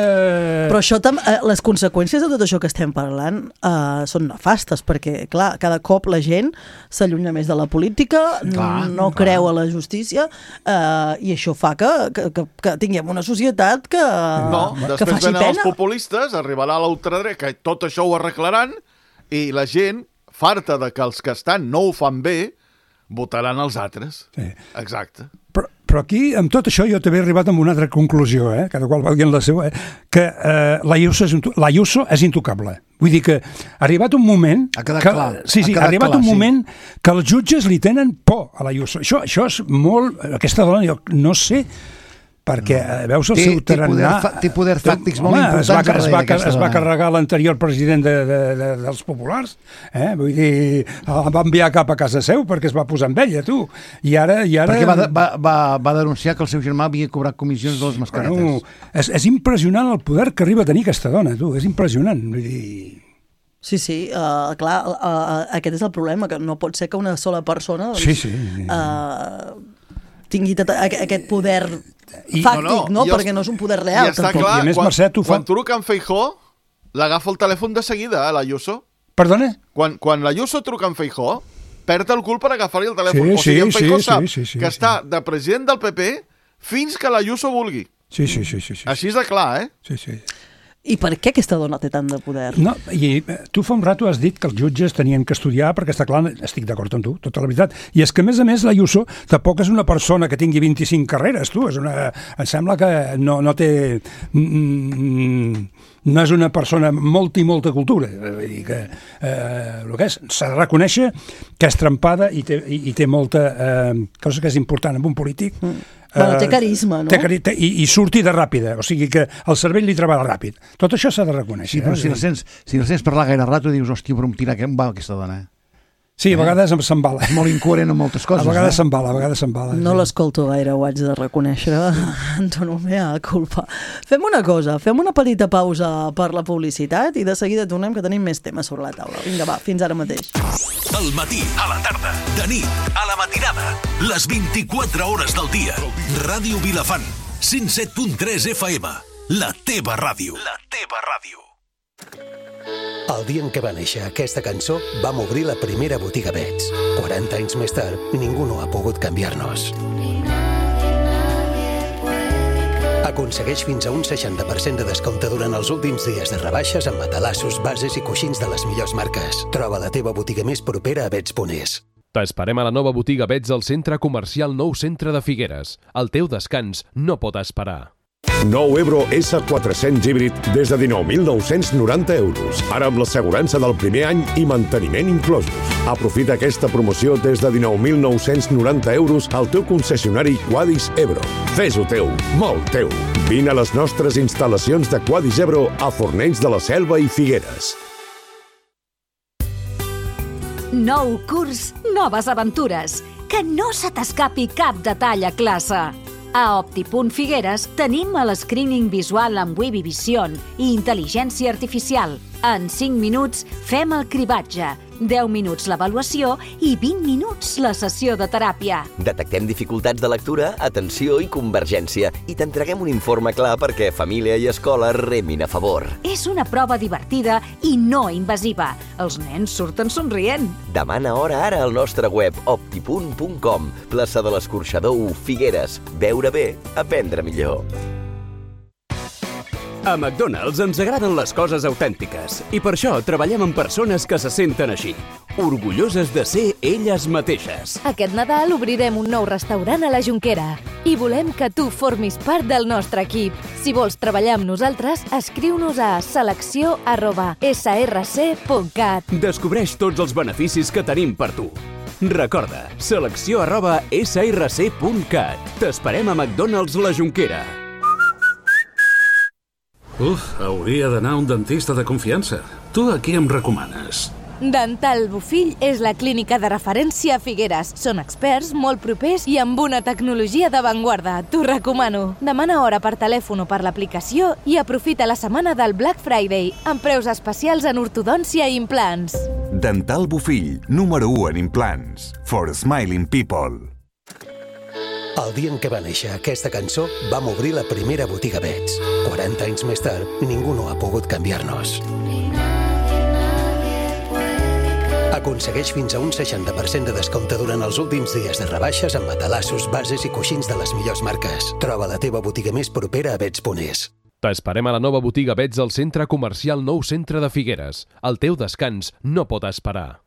S3: Però això, eh, les conseqüències de tot això que estem parlant eh, són nefastes, perquè, clar, cada cop la gent s'allunya més de la política, clar, no clar. creu a la justícia, eh, i això fa que, que, que, que tinguem una societat que,
S6: no,
S3: que
S6: després
S3: faci
S6: venen
S3: pena.
S6: els populistes, arribarà a l'ultradreta, que tot això ho arreglaran, i la gent, farta de que els que estan no ho fan bé, votaran els altres.
S4: Sí.
S6: Exacte.
S4: Però, però aquí, amb tot això, jo també he arribat a una altra conclusió, eh? Cada qual valgui en la seva, eh? Que eh, l'Ayuso és, l'Ayuso és intocable. Vull dir que ha arribat un moment...
S5: Ha quedat
S4: que,
S5: clar.
S4: Sí, sí, ha, ha arribat clar, un sí. moment que els jutges li tenen por a l'Ayuso. Això, això és molt... Aquesta dona, jo no sé... perquè no. veus el té, seu tarannà...
S5: Té poder, té poder fàctics molt
S4: home,
S5: importants.
S4: Es va, es va, es va
S5: dona.
S4: carregar l'anterior president de, de, de, dels populars, eh? Vull dir, el va enviar cap a casa seu perquè es va posar amb ella, tu. I ara... I ara...
S5: Perquè va, va, va, va denunciar que el seu germà havia cobrat comissions de les mascaretes.
S4: Bueno, és, és impressionant el poder que arriba a tenir aquesta dona, tu. És impressionant. Vull dir...
S3: Sí, sí, uh, clar, uh, aquest és el problema, que no pot ser que una sola persona doncs,
S4: sí, sí, sí.
S3: Uh, tingui tot aquest poder
S4: I,
S3: fàctic, no? no?
S6: I
S3: Perquè no és un poder real.
S6: I està clar,
S4: I a més,
S6: quan,
S4: Mercè, tu fa...
S6: quan truca en Feijóo, l'agafa el telèfon de seguida, eh, l'Ayuso.
S4: Perdona?
S6: Quan, quan l'Ayuso truca en Feijóo, perd el cul per agafar-li el telèfon.
S4: Sí,
S6: o sigui, en
S4: sí,
S6: Feijóo
S4: sí,
S6: sap
S4: sí, sí, sí,
S6: que
S4: sí.
S6: està de president del P P fins que l'Ayuso vulgui.
S4: Sí, sí, sí, sí, sí.
S6: Així és de clar, eh?
S4: Sí, sí.
S3: I per què aquesta dona té tant de poder?
S4: No, i tu fa un rato has dit que els jutges tenien que estudiar, perquè està clar, estic d'acord amb tu, tota la veritat. I és que, a més a més, l'Ayuso tampoc és una persona que tingui vint-i-cinc carreres, tu. És una, em sembla que no, no té... no és una persona amb molta i molta cultura. Vull dir que eh, el que és, s'ha de reconèixer que és trempada i té, i, i té molta eh, cosa que és important en un polític.
S3: Mm. Bueno, té carisma, no?
S4: Té, té, i, I surti de ràpida, o sigui que el cervell li treballa ràpid. Tot això s'ha de reconèixer.
S5: Sí, però
S4: eh?
S5: si la sents, si la sents parlar gaire rato, dius, hòstia, però em tira que em va aquesta dona, eh?
S4: Sí, a vegades em s'embala.
S5: És molt incoherent en moltes coses.
S4: A vegades
S5: eh?
S4: s'embala, a vegades s'embala.
S3: No
S4: sí.
S3: l'escolto gaire, ho haig de reconèixer. Antonio, mea culpa. Fem una cosa, fem una petita pausa per la publicitat i de seguida tornem, que tenim més temes sobre la taula. Vinga, va, fins ara mateix.
S7: Al matí, a la tarda, de nit, a la matinada, les vint-i-quatre hores del dia. Ràdio Vilafant, cent set punt tres F M. La teva ràdio. La teva ràdio.
S8: El dia en què va néixer aquesta cançó, vam obrir la primera botiga Bets. quaranta anys més tard, ningú no ha pogut canviar-nos. Aconsegueix fins a un seixanta per cent de descompte durant els últims dies de rebaixes amb matalassos, bases i coixins de les millors marques. Troba la teva botiga més propera a bets punt es.
S1: T'esperem a la nova botiga Bets al Centre Comercial Nou Centre de Figueres. El teu descans no pot esperar.
S9: Nou Ebro S quatre-cents híbrid des de dinou mil nou-cents noranta euros. Ara amb l'assegurança del primer any i manteniment inclosos. Aprofita aquesta promoció des de dinou mil nou-cents noranta euros al teu concessionari Quadis Ebro. Fes-ho teu, molt teu. Vine a les nostres instal·lacions de Quadis Ebro a Fornells de la Selva i Figueres.
S10: Nou curs, noves aventures. Que no se t'escapi cap detall a classe. A Optipunt Figueres tenim el screening visual amb Webby Vision i intel·ligència artificial. En cinc minuts fem el cribatge, deu minuts l'avaluació i vint minuts la sessió de teràpia.
S11: Detectem dificultats de lectura, atenció i convergència i t'entreguem un informe clar perquè família i escola remin a favor.
S10: És una prova divertida i no invasiva. Els nens surten somrient.
S11: Demana hora ara al nostre web optipunt punt com, plaça de l'Escorxador u, Figueres. Veure bé, aprendre millor.
S12: A McDonald's ens agraden les coses autèntiques i per això treballem amb persones que se senten així, orgulloses de ser elles mateixes.
S13: Aquest Nadal obrirem un nou restaurant a la Jonquera i volem que tu formis part del nostre equip. Si vols treballar amb nosaltres, escriu-nos a selecció arroba s r c punt cat.
S12: Descobreix tots els beneficis que tenim per tu. Recorda, selecció arroba s r c punt cat. T'esperem a McDonald's la Jonquera.
S14: Uf, hauria d'anar a un dentista de confiança. Tu a qui em recomanes?
S13: Dental Bofill és la clínica de referència a Figueres. Són experts, molt propers i amb una tecnologia d'avantguarda. T'ho recomano. Demana hora per telèfon o per l'aplicació i aprofita la setmana del Black Friday amb preus especials en ortodòncia i implants.
S15: Dental Bofill, número u en implants. For smiling people.
S8: El dia en què va néixer aquesta cançó, vam obrir la primera botiga Bets. quaranta anys més tard, ningú no ha pogut canviar-nos. Aconsegueix fins a un seixanta per cent de descompte durant els últims dies de rebaixes amb matalassos, bases i coixins de les millors marques. Troba la teva botiga més propera a bets punt es.
S1: T'esperem a la nova botiga Bets al Centre Comercial Nou Centre de Figueres. El teu descans no pot esperar.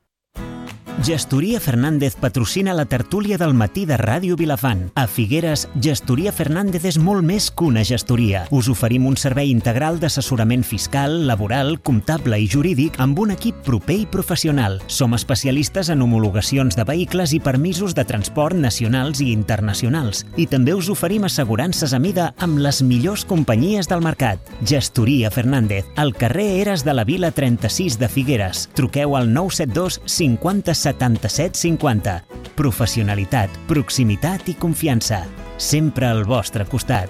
S2: Gestoria Fernández patrocina la tertúlia del matí de Ràdio Vilafant. A Figueres, Gestoria Fernández és molt més que una gestoria. Us oferim un servei integral d'assessorament fiscal, laboral, comptable i jurídic amb un equip proper i professional. Som especialistes en homologacions de vehicles i permisos de transport nacionals i internacionals. I també us oferim assegurances a mida amb les millors companyies del mercat. Gestoria Fernández, al carrer Eres de la Vila trenta-sis de Figueres. Truqueu al nou set dos cinquanta setanta-set cinquanta. Professionalitat, proximitat i confiança. Sempre al vostre costat.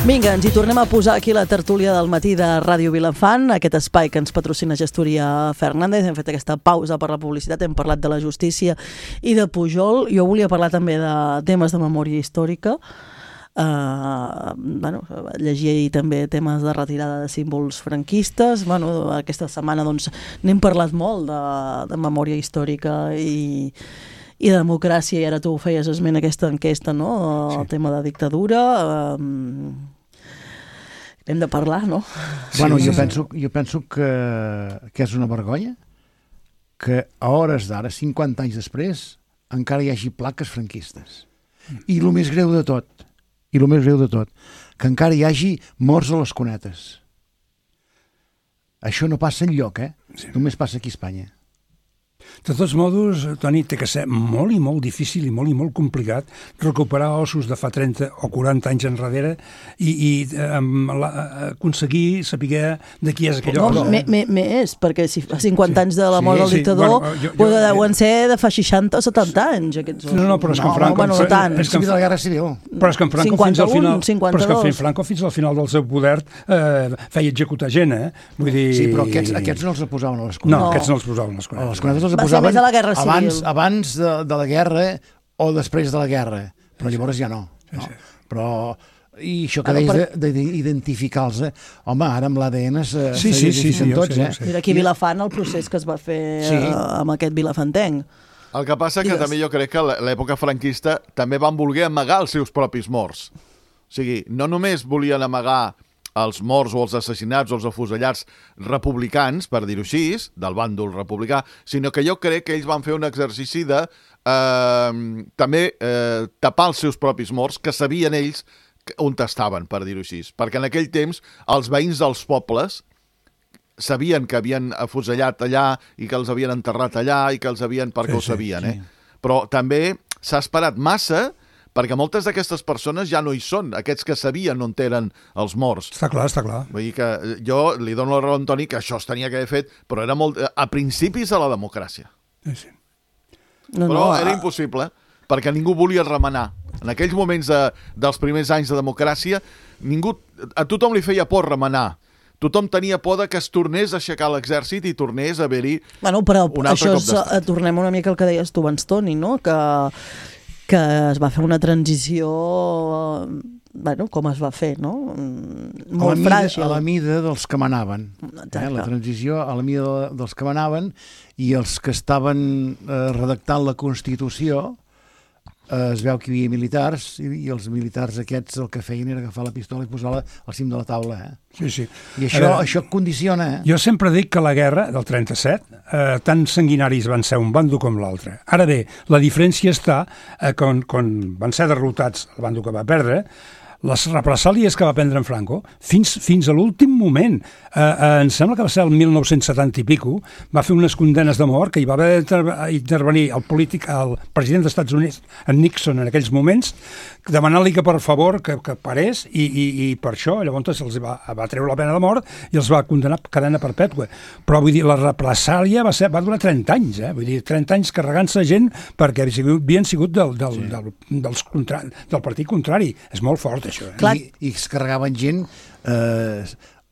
S3: Vinga, ens hi tornem a posar aquí la tertúlia del matí de Ràdio Vilafant, aquest espai que ens patrocina Gestoria Fernández. Hem fet aquesta pausa per la publicitat, hem parlat de la justícia i de Pujol. Jo volia parlar també de temes de memòria històrica. Uh, bueno, llegia ahir també temes de retirada de símbols franquistes. Bueno, aquesta setmana doncs, n'hem parlat molt de, de memòria històrica i... i de democràcia, i ara tu feies esment aquesta enquesta, no? El sí. tema de dictadura. Um, hem de parlar, no?
S5: Bueno,
S3: sí,
S5: jo,
S3: sí.
S5: penso, jo penso que, que és una vergonya que a hores d'ara, cinquanta anys després, encara hi hagi plaques franquistes. I el més greu de tot, i el més greu de tot, que encara hi hagi morts a les cunetes. Això no passa enlloc, eh? Sí. Només passa aquí a Espanya.
S4: De tots modos, Toni, té que ser molt i molt difícil i molt i molt complicat recuperar ossos de fa trenta o quaranta anys enrere i, i um, la, aconseguir saber de qui és aquell
S3: no,
S4: os.
S3: Més, perquè si fa cinquanta sí. anys de la mort sí, del dictador, sí, bueno, jo, jo, jo, deuen ser de fa seixanta o setanta anys, aquests ossos.
S4: No, no, però és que en Franco...
S3: No, no, tant.
S5: És que de la Guerra Civil.
S4: Però és que en Franco
S3: cinquanta-un,
S4: fins al final...
S3: cinquanta-dos.
S4: Però és que en Franco fins al final del seu poder eh, feia executar gent, eh? Vull dir...
S5: Sí, però aquests, aquests no els posaven a les cunetes.
S4: No, no, aquests no els posaven a les cunetes.
S5: A les cunetes els
S3: Va
S5: posaven
S3: ser més a la Guerra Civil.
S5: abans, abans de, de la guerra o després de la guerra, però llavors ja no. no? Sí, sí. Però... I això que deies per... d'identificar-los, eh? Home, ara amb l'A D N se
S4: sí, sí, sí, sí, tots,
S3: sí, sí. eh? Mira aquí a Vilafant el procés que es va fer sí. eh, amb aquest vilafantenc.
S6: El que passa que Digues. també jo crec que l'època franquista també van voler amagar els seus propis morts. O sigui, no només volien amagar els morts o els assassinats o els afusellats republicans, per dir-ho així, del bàndol republicà, sinó que jo crec que ells van fer un exercici de eh, també eh, tapar els seus propis morts, que sabien ells on estaven, per dir-ho així. Perquè en aquell temps els veïns dels pobles sabien que havien afusellat allà i que els havien enterrat allà i que els havien... perquè sí, ho sabien, sí, sí. eh? Però també s'ha esperat massa perquè moltes d'aquestes persones ja no hi són, aquests que sabien on eren els morts.
S4: Està clar, està clar.
S6: Vull dir que jo li dono la raó a Antoni que això es tenia que haver fet, però era molt a principis de la democràcia.
S4: Sí, sí.
S3: No,
S6: però
S3: no,
S6: era
S3: a...
S6: impossible, perquè ningú volia remenar. En aquells moments de, dels primers anys de democràcia, ningú, a tothom li feia por remenar. Tothom tenia por de que es tornés a aixecar l'exèrcit i tornés a haver-hi
S3: bueno, però
S6: un altre
S3: això
S6: cop d'estat.
S3: És, tornem una mica al que deies tu abans, Toni, no? Que, que es va fer una transició bueno, com es va fer, no? Molt
S5: a la mida,
S3: fràgil.
S5: A la mida dels que manaven. Eh? La transició a la mida dels que manaven, i els que estaven eh, redactant la Constitució, eh, es veu que hi havia militars, i, i els militars aquests el que feien era agafar la pistola i posar-la al cim de la taula. Eh?
S4: Sí, sí.
S5: I això, veure, això condiciona. Eh?
S4: Jo sempre dic que la guerra del trenta-set, eh, tan sanguinaris van ser un bando com l'altre. Ara bé, la diferència està eh, quan, quan van ser derrotats el bando que va perdre, les represàlies que va prendre en Franco, fins, fins a l'últim moment, eh, eh, em sembla que va ser el mil nou-cents setanta i pico, va fer unes condenes de mort que hi va haver d'intervenir el polític, el president dels Estats Units, en Nixon, en aquells moments, demanant-li que per favor que, que parés, i, i, i per això llavors els va, va treure la pena de mort i els va condenar a cadena perpètua. Però vull dir, la represàlia va, ser, va durar trenta anys, eh? Vull dir, trenta anys carregant-se gent perquè havien sigut del, del, sí. del, dels contra, del partit contrari. És molt fort, això. Eh?
S5: I, I es carregaven gent eh,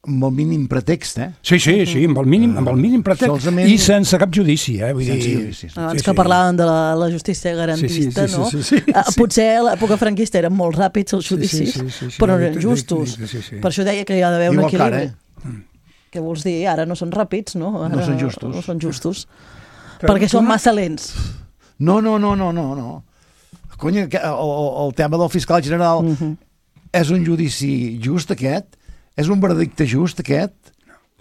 S5: amb el mínim pretext, eh?
S4: Sí, sí, sí, amb el mínim, amb el mínim pretext, solament... i sense cap judici, eh? Vull
S5: sense
S4: dir...
S5: judici.
S3: Abans
S4: sí,
S3: que
S4: sí.
S3: parlàvem de la, la justícia garantista,
S4: sí, sí, sí,
S3: no?
S4: Sí, sí, sí, sí.
S3: Potser a l'època franquista eren molt ràpids els judicis,
S4: sí, sí, sí, sí,
S3: però
S4: sí,
S3: eren justos.
S4: sí, sí, sí.
S3: Per això deia que hi ha d'haver un
S5: Igual
S3: equilibri.
S5: Cara, eh?
S3: Què vols dir? Ara no són ràpids, no? Ara
S5: no són justos.
S3: No són justos.
S4: Però
S3: perquè són massa lents.
S5: No, no, no, no, no. no. Cony, el, el tema del fiscal general uh-huh. és un judici just, aquest? És un veredicte just, aquest?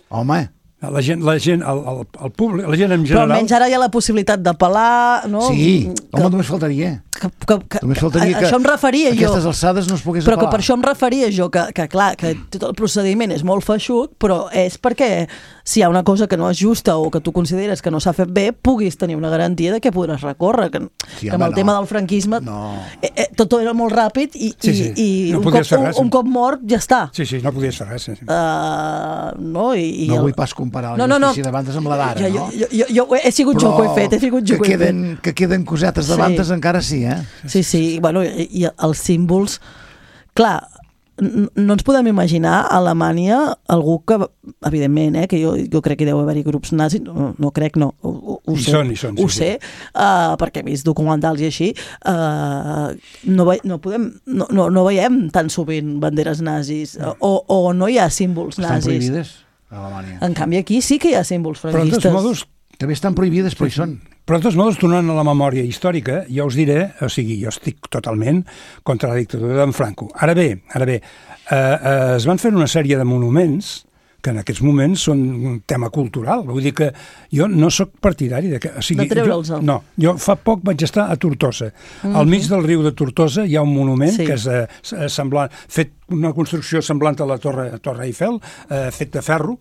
S5: Home...
S4: La gent, la gent, el, el, el públic, la gent en general...
S3: Però almenys ara hi ha la possibilitat d'apel·lar, no?
S5: Sí,
S3: que,
S5: home, només faltaria.
S3: Que, que, que,
S5: només faltaria
S3: a,
S5: que
S3: això em referia jo.
S5: Aquestes alçades no es pogués
S3: però
S5: apel·lar.
S3: Però que per això em referia jo, que, que clar, que tot el procediment és molt feixuc, però és perquè si hi ha una cosa que no és justa o que tu consideres que no s'ha fet bé, puguis tenir una garantia de que podràs recórrer. Que,
S5: sí,
S3: que amb
S5: home,
S3: el
S5: no.
S3: tema del franquisme
S5: no.
S3: eh, eh, tot era molt ràpid i,
S4: sí, sí.
S3: i, i
S4: no
S3: un, cop, un,
S4: res,
S3: un cop mort ja està.
S4: Sí, sí, no podies fer res. Sí.
S3: Uh, no, i, i
S5: no
S3: el...
S5: vull pas comparar la
S3: no, no,
S5: justícia
S3: no.
S5: de bandes amb la d'ara,
S3: jo,
S5: no?
S3: Jo, jo, jo, he sigut
S5: però
S3: jo que ho he fet, he sigut jo
S5: que,
S3: que ho he
S5: queden,
S3: fet.
S5: que queden cosetes de
S3: sí.
S5: bandes encara sí, eh?
S3: Sí, sí, bueno, i, i els símbols... Clar, no ens podem imaginar a Alemanya algú que, evidentment, eh, que jo, jo crec que deu haver-hi grups nazis, no, no crec, no, ho, ho sé,
S4: són, són,
S3: ho
S4: sí,
S3: sé
S4: sí.
S3: Uh, perquè he vist documentals i així, uh, no, ve, no, podem, no, no, no veiem tan sovint banderes nazis, no. o, o no hi ha símbols
S5: Estan
S3: nazis.
S5: Estan prohibides a Alemanya.
S3: En canvi, aquí sí que hi ha símbols franquistes.
S4: Però de tots modos...
S5: També estan prohibides, però hi són.
S4: Però de tots modos, tornant a la memòria històrica, jo us diré, o sigui, jo estic totalment contra la dictadura d'en Franco. Ara bé, ara bé, eh, eh, es van fer una sèrie de monuments que en aquests moments són un tema cultural. Vull dir que jo no sóc partidari de que... O sigui,
S3: de treure'ls.
S4: Jo, no, jo fa poc vaig estar a Tortosa. Mm-hmm. Al mig del riu de Tortosa hi ha un monument sí. que és eh, semblant, fet una construcció semblant a la Torre, Torre Eiffel, eh, fet de ferro,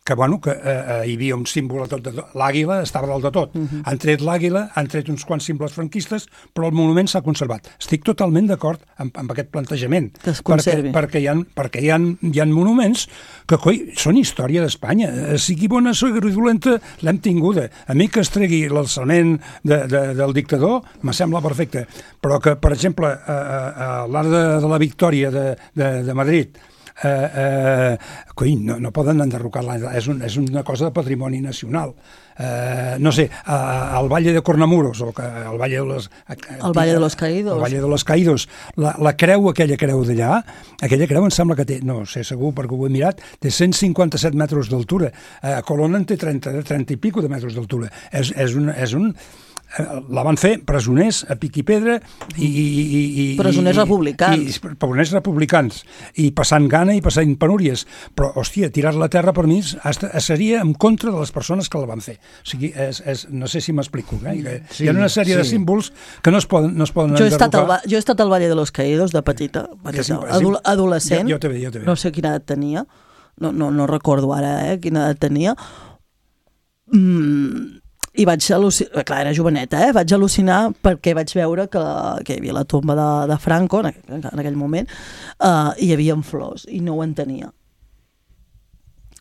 S4: que, bueno, que eh, hi havia un símbol de tot, de tot. L'àguila estava dalt de tot. Uh-huh. Han tret l'àguila, han tret uns quants símbols franquistes, però el monument s'ha conservat. Estic totalment d'acord amb, amb aquest plantejament.
S3: Que es conservi.
S4: Perquè, perquè, hi ha, perquè hi, ha, hi ha monuments que, coi, són història d'Espanya. Sigui bona, sigui dolenta, l'hem tinguda. A mi que es tregui l'alçament de, de, del dictador me sembla perfecte. Però que, per exemple, a, a, a l'Arc de, de la Victòria de, de, de Madrid, Eh, eh, coi, no, no poden enderrocar-la, és, un, és una cosa de patrimoni nacional. Eh, no sé, al Valle de Cornamuros, o que, al Valle de los...
S3: El Valle de los Caídos.
S4: El Valle de los Caídos. La, la creu, aquella creu d'allà, aquella creu em sembla que té, no sé segur perquè ho he mirat, té cent cinquanta-set metres d'altura. A Colonna en té trenta, trenta i pico de metres d'altura. És, és un... És un la van fer presoners a pic i pedra i, i, i,
S3: presoners
S4: i,
S3: republicans
S4: i, i, presoners republicans i passant gana i passant penúries, però hòstia, tirar-la a terra per mi seria en contra de les persones que la van fer, o sigui, és, és, no sé si m'explico, eh? Sí, hi ha una sèrie sí. de símbols que no es poden, no es poden
S3: jo he, estat
S4: enderrocar.
S3: al, jo he estat al Valle de los Caídos de petita, petita adol, adolescent,
S4: jo, jo també, jo també.
S3: No sé quina edat tenia, no, no, no recordo ara eh, quina edat tenia, mm, i vaig al·lucinar, clar, era joveneta, eh? Vaig al·lucinar perquè vaig veure que, que hi havia la tomba de, de Franco en, en aquell moment, uh, i hi havia flors, i no ho entenia.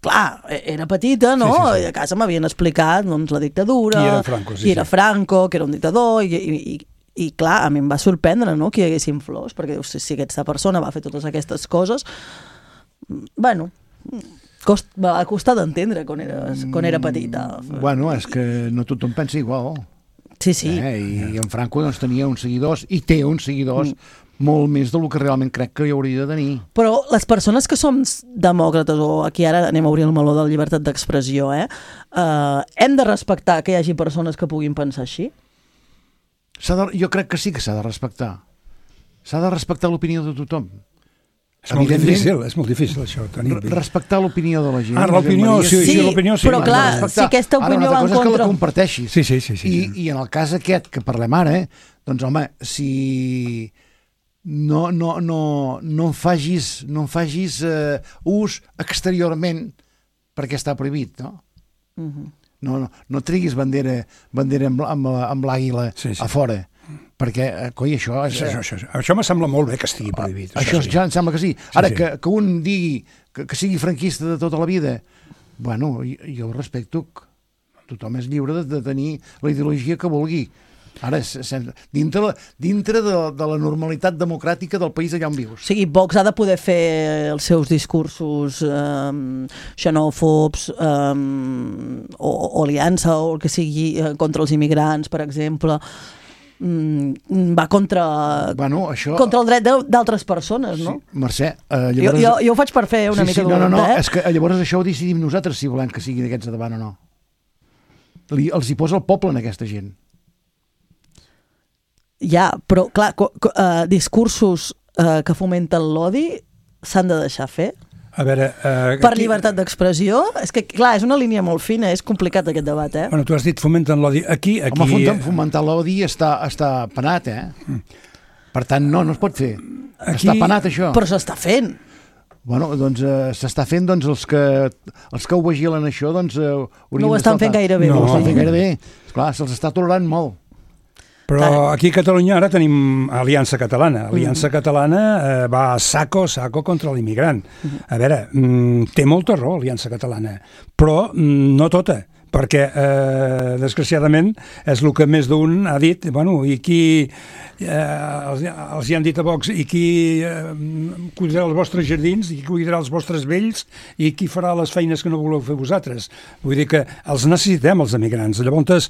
S3: Clar, era petita, no? Sí, sí, sí. I a casa m'havien explicat doncs, la dictadura,
S4: qui era Franco, sí,
S3: qui era
S4: sí.
S3: Franco, que era un dictador, i, i, i, i clar, a mi em va sorprendre, no?, que hi haguessin flors, perquè dius, si aquesta persona va fer totes aquestes coses, bueno... Cost, va costar d'entendre quan, eres, quan era petita.
S5: Bueno, és que no tothom pensa igual.
S3: Sí, sí.
S5: Eh? I, I en Franco doncs, tenia uns seguidors, i té uns seguidors, mm. molt més del que realment crec que hi hauria de tenir.
S3: Però les persones que som demòcrates, o aquí ara anem a obrir el meló de la llibertat d'expressió, eh? Uh, hem de respectar que hi hagi persones que puguin pensar així?
S5: De, jo crec que sí que s'ha de respectar. S'ha de respectar l'opinió de tothom.
S4: És molt difícil, és molt difícil això, Toni.
S5: Respectar l'opinió de la gent.
S4: Ah, l'opinió, sí, sí, l'opinió sí.
S3: Però clar, si aquesta opinió va en contra...
S5: Ara, una altra cosa és que la comparteixis.
S4: Sí, sí, sí. sí,
S5: I,
S4: sí.
S5: I en el cas aquest que parlem ara, eh, doncs home, si no, no, no, no en fagis, no en fagis eh, ús exteriorment perquè està prohibit, no?
S3: Uh-huh.
S5: No, no, no triguis bandera, bandera amb, amb, amb l'àguila
S4: sí, sí.
S5: a fora. Perquè, eh, coi, això... És,
S4: això, això, això, això me sembla molt bé que estigui prohibit.
S5: Això, això
S4: sí.
S5: ja em sembla que sí. Ara,
S4: sí, sí.
S5: Que, que un digui que, que sigui franquista de tota la vida, bueno, jo, jo respecto que tothom és lliure de, de tenir la ideologia que vulgui. Ara, sen, dintre, dintre de, de la normalitat democràtica del país allà on vius.
S3: O sigui, Vox ha de poder fer els seus discursos um, xenòfobs um, o, o aliança o el que sigui uh, contra els immigrants, per exemple... Mm, va contra,
S5: bueno, això...
S3: contra el dret d'altres persones, no?
S5: Sí, Mercè, eh, llavors...
S3: jo, jo, jo ho faig per fer una
S5: sí,
S3: mica
S5: sí,
S3: de
S5: no, no, no,
S3: eh?
S5: és que llavors això ho decidim nosaltres si volem que sigui d'aquests de davant o no. Li, els hi posa el poble en aquesta gent.
S3: Ja, però clar, co, co, uh, discursos uh, que fomenten l'odi s'han de deixar fer.
S4: A veure, uh,
S3: per
S4: aquí...
S3: llibertat d'expressió, és que clar, és una línia molt fina, és complicat aquest debat, eh?
S4: Bueno, tu has dit fomenten l'odi. Aquí, aquí...
S5: Home, fomentar l'odi està, està penat, eh? Mm. Per tant, no, no es pot fer. Aquí... Està penat, això.
S3: Però s'està fent.
S5: Bueno, doncs eh, s'està fent, doncs els que, els que ho vigilen això, doncs... Eh,
S3: no ho estan fent gaire bé.
S5: No,
S3: no
S5: ho estan fent gaire bé. Esclar, se'ls està tolerant molt.
S4: Però aquí a Catalunya ara tenim Aliança Catalana. Aliança Catalana eh, va saco, saco contra l'immigrant. A veure, mm, té molta raó Aliança Catalana, però mm, no tota, perquè, eh, desgraciadament, és el que més d'un ha dit, bueno, i qui eh, els, els hi han dit a Vox, i qui eh, cuidarà els vostres jardins, i qui cuidarà els vostres vells, i qui farà les feines que no voleu fer vosaltres. Vull dir que els necessitem, els emigrants. Llavors,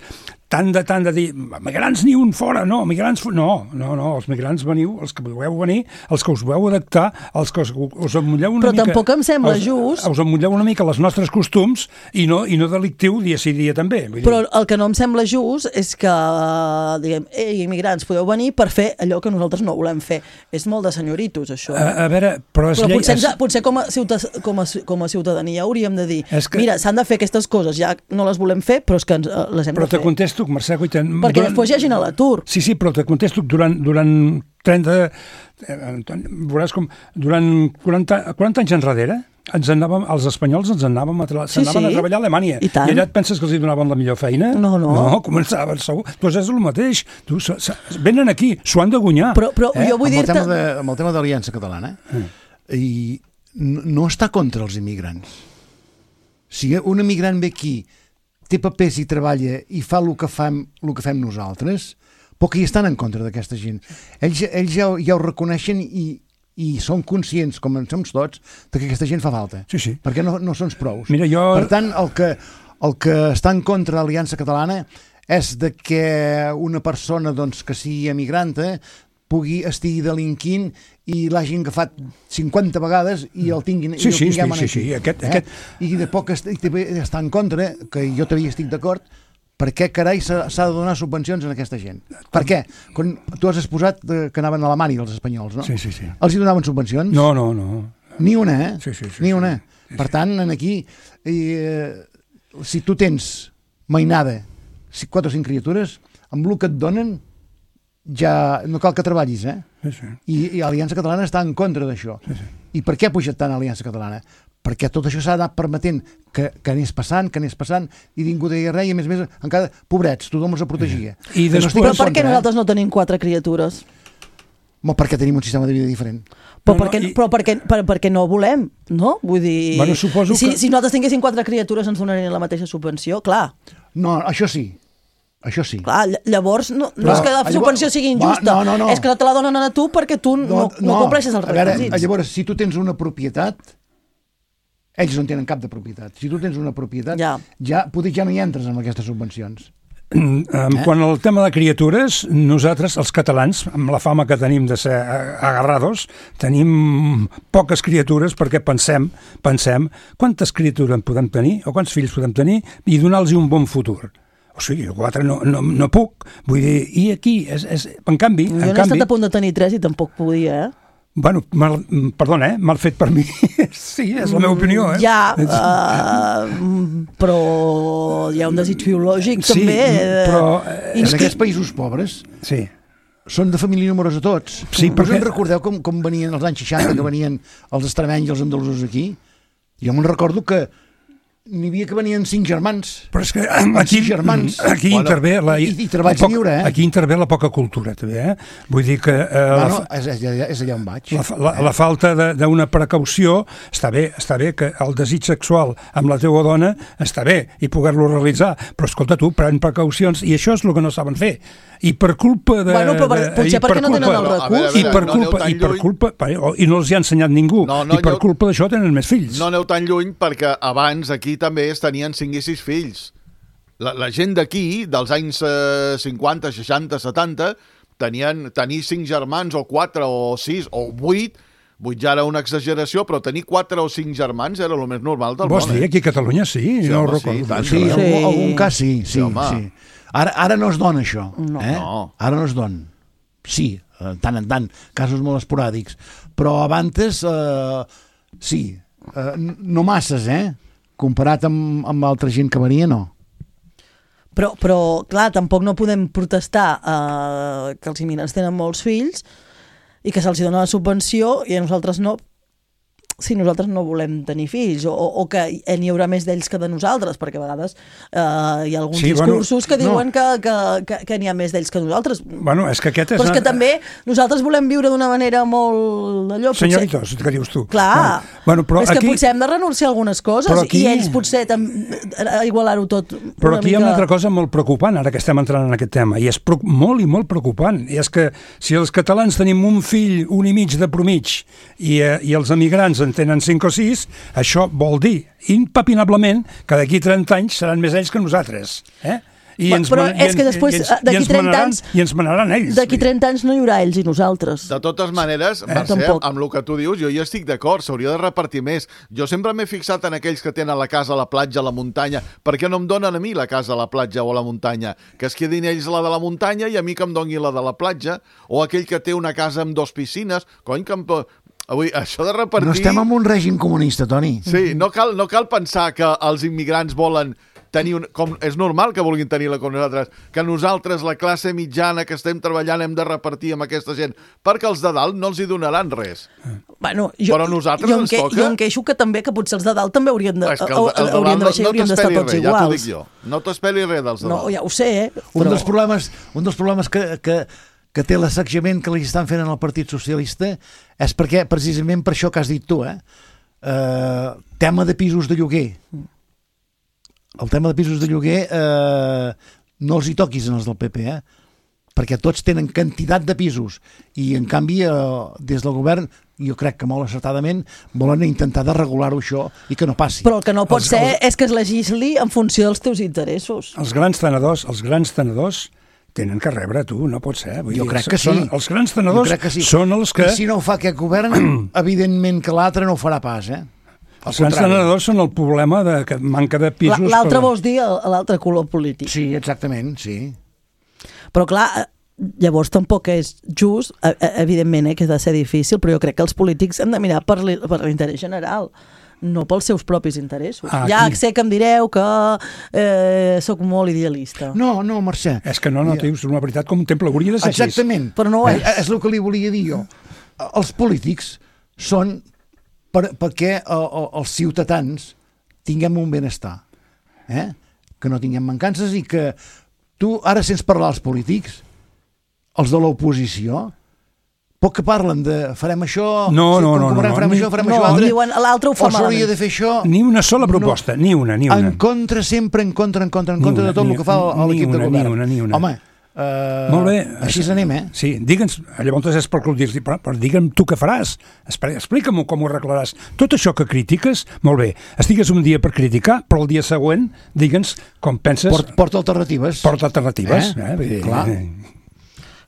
S4: tant de, tant de dir, migrants ni un fora, no, migrants... No, no, no, els migrants veniu, els que voleu venir, els que us voleu adaptar, els que us, us emmotlleu una
S3: Però
S4: mica...
S3: Però tampoc em sembla
S4: us,
S3: just...
S4: Us emmotlleu una mica els nostres costums i no, i no delictiu dia sí dia també. Vull dir.
S3: Però el que no em sembla just és que, diguem, ei, immigrants, podeu venir per fer allò que nosaltres no volem fer. És molt de senyoritos, això.
S4: A, a veure, però...
S3: Però
S4: llei,
S3: potser,
S4: és...
S3: potser com, a ciutat, com, a, com a ciutadania hauríem de dir,
S4: que...
S3: mira, s'han de fer aquestes coses, ja no les volem fer, però és que ens, les hem
S4: però
S3: de fer.
S4: Però te contesto, Mercè Cuiten...
S3: Perquè durant... després hi hagin a l'atur.
S4: Sí, sí, però te contesto durant, durant trenta... Eh, veuràs com... Durant quaranta, quaranta anys enrere, ens anàvem, els espanyols ens anàvem a, tra... sí, sí. a treballar a Alemanya.
S3: I,
S4: I allà et penses que els hi donaven la millor feina?
S3: No, no.
S4: No, començaven segur. Doncs és el mateix. Tu, s -s venen aquí, s'ho han de guanyar.
S3: Però, però
S4: eh?
S3: jo vull
S5: dir-te...
S3: Amb,
S5: amb el tema de l'Aliança Catalana, mm. i no, no està contra els immigrants. Si un immigrant ve aquí, té papers i treballa i fa el que fem, el que fem nosaltres, però que hi estan en contra d'aquesta gent. Ells, ells ja, ja ho reconeixen i, i són conscients, com en som tots, que aquesta gent fa falta.
S4: Sí, sí.
S5: Perquè no, no són prous.
S4: Mira, jo...
S5: Per tant, el que, el que està en contra de l'Aliança Catalana és de que una persona doncs, que sigui emigranta pugui estigui delinquint i l'hagin agafat cinquanta vegades i el tinguin,
S4: sí,
S5: i el
S4: sí,
S5: tinguem
S4: sí,
S5: aquí.
S4: Sí, sí. Aquest,
S5: eh?
S4: aquest...
S5: I de poc est està en contra, que jo també estic d'acord, per què carai s'ha de donar subvencions a aquesta gent? Per què? Quan tu has exposat que anaven a Alemanya els espanyols, no?
S4: Sí, sí, sí.
S5: Els hi donaven subvencions?
S4: No, no, no.
S5: Ni una, eh?
S4: Sí, sí, sí.
S5: Ni una.
S4: Sí, sí.
S5: Per tant, aquí, eh, si tu tens mainada quatre o cinc criatures, amb el que et donen ja no cal que treballis, eh?
S4: Sí, sí.
S5: I, i Aliança Catalana està en contra d'això.
S4: Sí, sí.
S5: I per què ha pujat tant Aliança Catalana? Perquè tot això s'ha anat permetent que, que anés passant, que anés passant, i ningú deia res, i a més a més, encara, pobrets, tothom els protegia.
S4: I després...
S3: no Però per què nosaltres no tenim quatre criatures?
S5: Mo, perquè tenim un sistema de vida diferent.
S3: Però, no, perquè, no, i... però perquè, per, perquè no volem, no? Vull dir,
S4: bueno, suposo
S3: si,
S4: que...
S3: si nosaltres tinguéssim quatre criatures ens donarien la mateixa subvenció, clar.
S5: No, això sí. Això sí.
S3: Clar, llavors no,
S5: Però,
S3: no és que la subvenció
S5: llavors,
S3: sigui injusta,
S5: va, no, no, no.
S3: és que te la donen a tu perquè tu no, no, no, no compleixes els requisits.
S5: A veure, llavors, si tu tens una propietat, ells no tenen cap de propietat. Si tu tens una propietat, ja, ja potser ja no hi entres amb aquestes subvencions.
S4: Eh? Quan al tema de criatures, nosaltres, els catalans, amb la fama que tenim de ser agarrados, tenim poques criatures perquè pensem, pensem quantes criatures en podem tenir o quants fills podem tenir i donar-los un bon futur. O sigui, quatre no, no, no puc. Vull dir, i aquí, és, és, en canvi...
S3: Jo
S4: en
S3: n'he
S4: canvi,
S3: estat a punt de tenir tres i tampoc podia, eh?
S4: Bueno, mal, perdona, eh? Mal fet per mi. Sí, és la meva opinió, eh?
S3: Ja, uh, però hi ha un desig biològic,
S5: sí,
S3: també.
S5: Però eh, en aquests països pobres
S4: sí.
S5: són de família numerosa tots.
S4: Sí,
S5: perquè... Us en
S4: perquè...
S5: recordeu com, com venien els anys seixanta, que venien els extremenys i els andalusos aquí? Jo me'n recordo que n'hi havia que venien cinc germans.
S4: Però és que aquí,
S5: germans.
S4: aquí bueno, intervé la,
S5: i, i treballs
S4: poc,
S5: lliure, eh?
S4: Aquí intervé la poca cultura, també, eh? Vull dir que... Eh,
S5: bueno,
S4: la,
S5: és, és, és allà on vaig.
S4: La, la, la falta d'una precaució, està bé, està bé que el desig sexual amb la teua dona està bé, i poder-lo realitzar, però escolta tu, pren precaucions, i això és el que no saben fer. I per culpa de...
S3: Bueno, però per,
S4: de,
S3: potser perquè no tenen el recurs.
S4: I per culpa, i per culpa, i no els hi ha ensenyat ningú,
S6: no, no,
S4: i per
S6: aneu,
S4: culpa d'això tenen més fills.
S6: No aneu tan lluny perquè abans aquí també es tenien cinc i sis fills. La, la gent d'aquí, dels anys eh, cinquanta, seixanta, setanta, tenien tenir cinc germans, o quatre, o sis, o vuit, vuit ja era una exageració, però tenir quatre o cinc germans era el més normal del món.
S4: Vols dir, aquí a Catalunya sí,
S6: sí
S4: no
S6: home,
S4: ho recordo.
S6: Sí, tant,
S5: sí,
S6: sí.
S5: Algun, algun cas sí, sí,
S6: sí,
S5: sí. Ara, ara no es dona això.
S3: No.
S5: Eh?
S6: no.
S5: Ara no es dona. Sí, tant en tant, casos molt esporàdics. Però abans, eh, sí, eh, no masses, eh? Comparat amb, amb altra gent que venia, no.
S3: Però, però clar, tampoc no podem protestar eh, que els immigrants tenen molts fills i que se'ls dona la subvenció i a nosaltres no, si nosaltres no volem tenir fills, o, o que n'hi haurà més d'ells que de nosaltres, perquè a vegades eh, hi ha alguns sí, discursos bueno, que diuen no. que, que, que, que n'hi ha més d'ells que nosaltres.
S4: Bueno, és que aquest és...
S3: Però és que també nosaltres volem viure d'una manera molt d'allò.
S4: Senyoritos, potser... que dius tu.
S3: Clar,
S4: bueno, bueno, però
S3: és
S4: aquí...
S3: que potser hem de renunciar a algunes coses aquí... i ells potser tam... igualar-ho tot.
S4: Però aquí
S3: mica...
S4: hi ha una altra cosa molt preocupant, ara que estem entrant en aquest tema, i és pro... molt i molt preocupant, i és que si els catalans tenim un fill, un i mig de promig, i, eh, i els emigrants en tenen cinc o sis, això vol dir impepinablement que d'aquí trenta anys seran més ells que nosaltres, eh? I ens
S3: però
S4: man...
S3: és que després d'aquí trenta anys
S4: i ens manaran ells.
S3: D'aquí trenta anys no hi haurà ells i nosaltres.
S6: De totes maneres, eh? Mercè, amb el que tu dius, jo hi estic d'acord, s'hauria de repartir més. Jo sempre m'he fixat en aquells que tenen la casa a la platja, a la muntanya. Per què no em donen a mi la casa a la platja o a la muntanya? Que es quedin ells la de la muntanya i a mi que em doni la de la platja. O aquell que té una casa amb dos piscines. Cony, que em... Avui, això de repartir...
S5: No estem en un règim comunista, Toni.
S6: Sí, no cal, no cal pensar que els immigrants volen tenir un... Com, és normal que vulguin tenir-la com nosaltres, que nosaltres, la classe mitjana que estem treballant, hem de repartir amb aquesta gent, perquè els de dalt no els hi donaran res.
S3: Bueno, jo,
S6: però a nosaltres
S3: jo
S6: ens
S3: que,
S6: toca...
S3: Jo em queixo que també que potser els de dalt també haurien de,
S6: el, el de
S3: haurien de baixar i haurien d'estar tots
S6: res,
S3: iguals.
S6: Ja t'ho dic jo. No t'esperi res dels de dalt.
S3: No, ja ho sé, eh?
S5: Però... Un dels problemes, un dels problemes que... que... que té l'assecjament que li estan fent en el Partit Socialista és perquè, precisament per això que has dit tu, eh? Uh, tema de pisos de lloguer. El tema de pisos de lloguer eh, no els hi toquis en els del P P, eh? Perquè tots tenen quantitat de pisos i, en canvi, eh, des del govern, jo crec que molt acertadament, volen intentar de regular-ho això i que no passi.
S3: Però el que no pot
S4: els,
S3: ser
S4: els...
S3: és que es legisli en funció dels teus interessos.
S4: Els grans tenedors, els grans tenedors tenen que rebre, tu, no pot ser. Vull
S5: jo
S4: dir,
S5: crec que
S4: són,
S5: sí.
S4: Els grans tenedors sí. són els que...
S5: I si no ho fa aquest govern, evidentment que l'altre no ho farà pas, eh?
S4: Al els grans tenedors són el problema de que manca de pisos...
S3: L'altre
S4: per...
S3: vols dir l'altre color polític.
S5: Sí, exactament, sí.
S3: Però clar, llavors tampoc és just, evidentment, eh, que ha de ser difícil, però jo crec que els polítics hem de mirar per l'interès general, no pels seus propis interessos. Ah, ja sé que em direu que eh, sóc molt idealista.
S5: No, no, Mercè.
S4: És que no, no, tens una veritat com un temple, hauria de ser així.
S5: Exactament.
S3: Però no ho és.
S5: És el que li volia dir jo. Els polítics són per, perquè els ciutadans tinguem un benestar, eh? Que no tinguem mancances i que tu ara sents parlar als polítics, els de l'oposició, poc que parlen de farem això,
S4: no,
S5: sí,
S4: no, no, no,
S5: farem
S4: no,
S5: això, farem
S3: no,
S5: això altre,
S3: diuen l'altre ho fa
S5: o s'hauria de fer això.
S4: Ni una sola proposta, no, ni una, ni una.
S5: En contra, sempre en contra, en contra, en contra una, de tot
S4: ni,
S5: el que fa l'equip de govern.
S4: Ni una, ni una.
S5: Home, Uh,
S4: Molt bé.
S5: Així anem, eh?
S4: Sí, digue'ns, llavors és per dir-li, però, però digue'm tu què faràs, explica'm com ho arreglaràs. Tot això que critiques, molt bé, estigues un dia per criticar, però el dia següent digue'ns com penses...
S5: Port, porta alternatives.
S4: Porta alternatives.
S5: Eh?
S4: Eh? Vull dir,
S5: clar.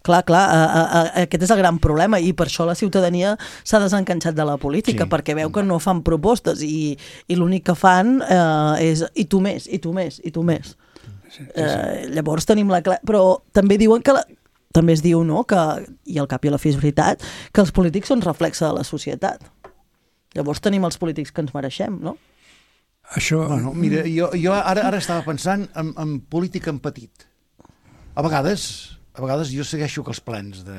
S3: Clar, clar, a, a, a, aquest és el gran problema i per això la ciutadania s'ha desenganxat de la política, sí. perquè veu que no fan propostes i, i l'únic que fan eh, és i tu més, i tu més, i tu més. Sí, sí, sí. Eh, llavors tenim la... Però també diuen que... La, també es diu, no?, que, i al cap i a la fi és veritat, que els polítics són reflexe de la societat. Llavors tenim els polítics que ens mereixem, no?
S4: Això...
S5: Bueno, mira, jo, jo ara, ara estava pensant en, en política en petit. A vegades... A vegades jo segueixo que els plens de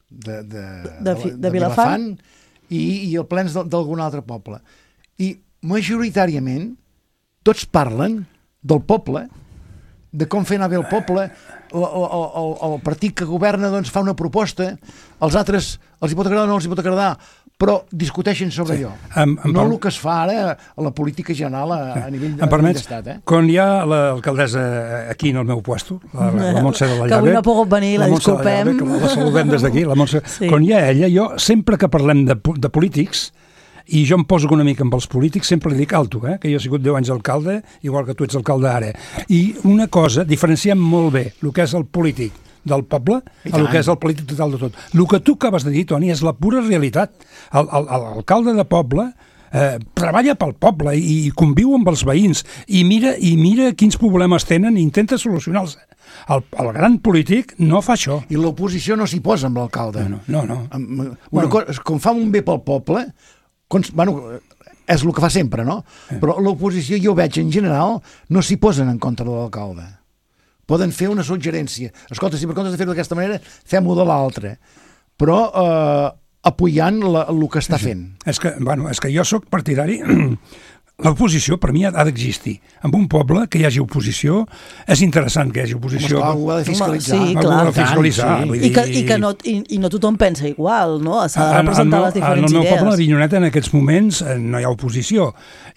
S5: de, de,
S3: de,
S5: de,
S3: de,
S5: de
S3: Vilafant
S5: i, i els plens d'algun altre poble. I majoritàriament tots parlen del poble, de com fer anar bé el poble, el, el, el, el partit que governa doncs, fa una proposta, els altres els hi pot agradar o no els hi pot agradar, però discuteixen sobre sí. allò. Em, em no per... el que es fa ara a la política general a, a nivell d'estat. Eh?
S4: Quan hi ha l'alcaldessa aquí en el meu puesto, la, la, la Montse de la Llave...
S3: Que avui no ha pogut venir, la, la disculpem.
S4: La, la saludem des d'aquí, la Montse. Sí. Quan hi ha ella, jo sempre que parlem de, de polítics, i jo em poso una mica amb els polítics, sempre li dic alto, eh? que jo he sigut deu anys alcalde, igual que tu ets alcalde ara. I una cosa, diferenciem molt bé el que és el polític del poble a el que és el polític total de tot. El que tu acabes de dir, Toni, és la pura realitat. L'alcalde de poble eh, treballa pel poble i, i conviu amb els veïns i mira, i mira quins problemes tenen i intenta solucionar-los. El, el gran polític no fa això.
S5: I l'oposició no s'hi posa amb l'alcalde.
S4: No, no. no.
S5: Una bueno. cosa, com fa un bé pel poble, com, bueno, és el que fa sempre, no? Eh. Però l'oposició, jo veig en general, no s'hi posen en contra de l'alcalde. Poden fer una suggerència. Escolta, si per comptes de fer-ho d'aquesta manera, fem-ho de l'altra. Però eh, apoyant la, el que està fent.
S4: És que, bueno, és que jo sóc partidari... L'oposició, per mi, ha d'existir. En un poble que hi hagi oposició, és interessant que hi hagi oposició.
S5: Home, algú ha de fiscalitzar.
S3: Sí, clar.
S4: Ha de fiscalitzar.
S5: Sí.
S4: Vull dir...
S3: I, que, i, que no, i, I no tothom pensa igual, no? S'ha de representar en, en, les diferents idees.
S4: En el meu poble, a Avinyoneta, en aquests moments, no hi ha oposició.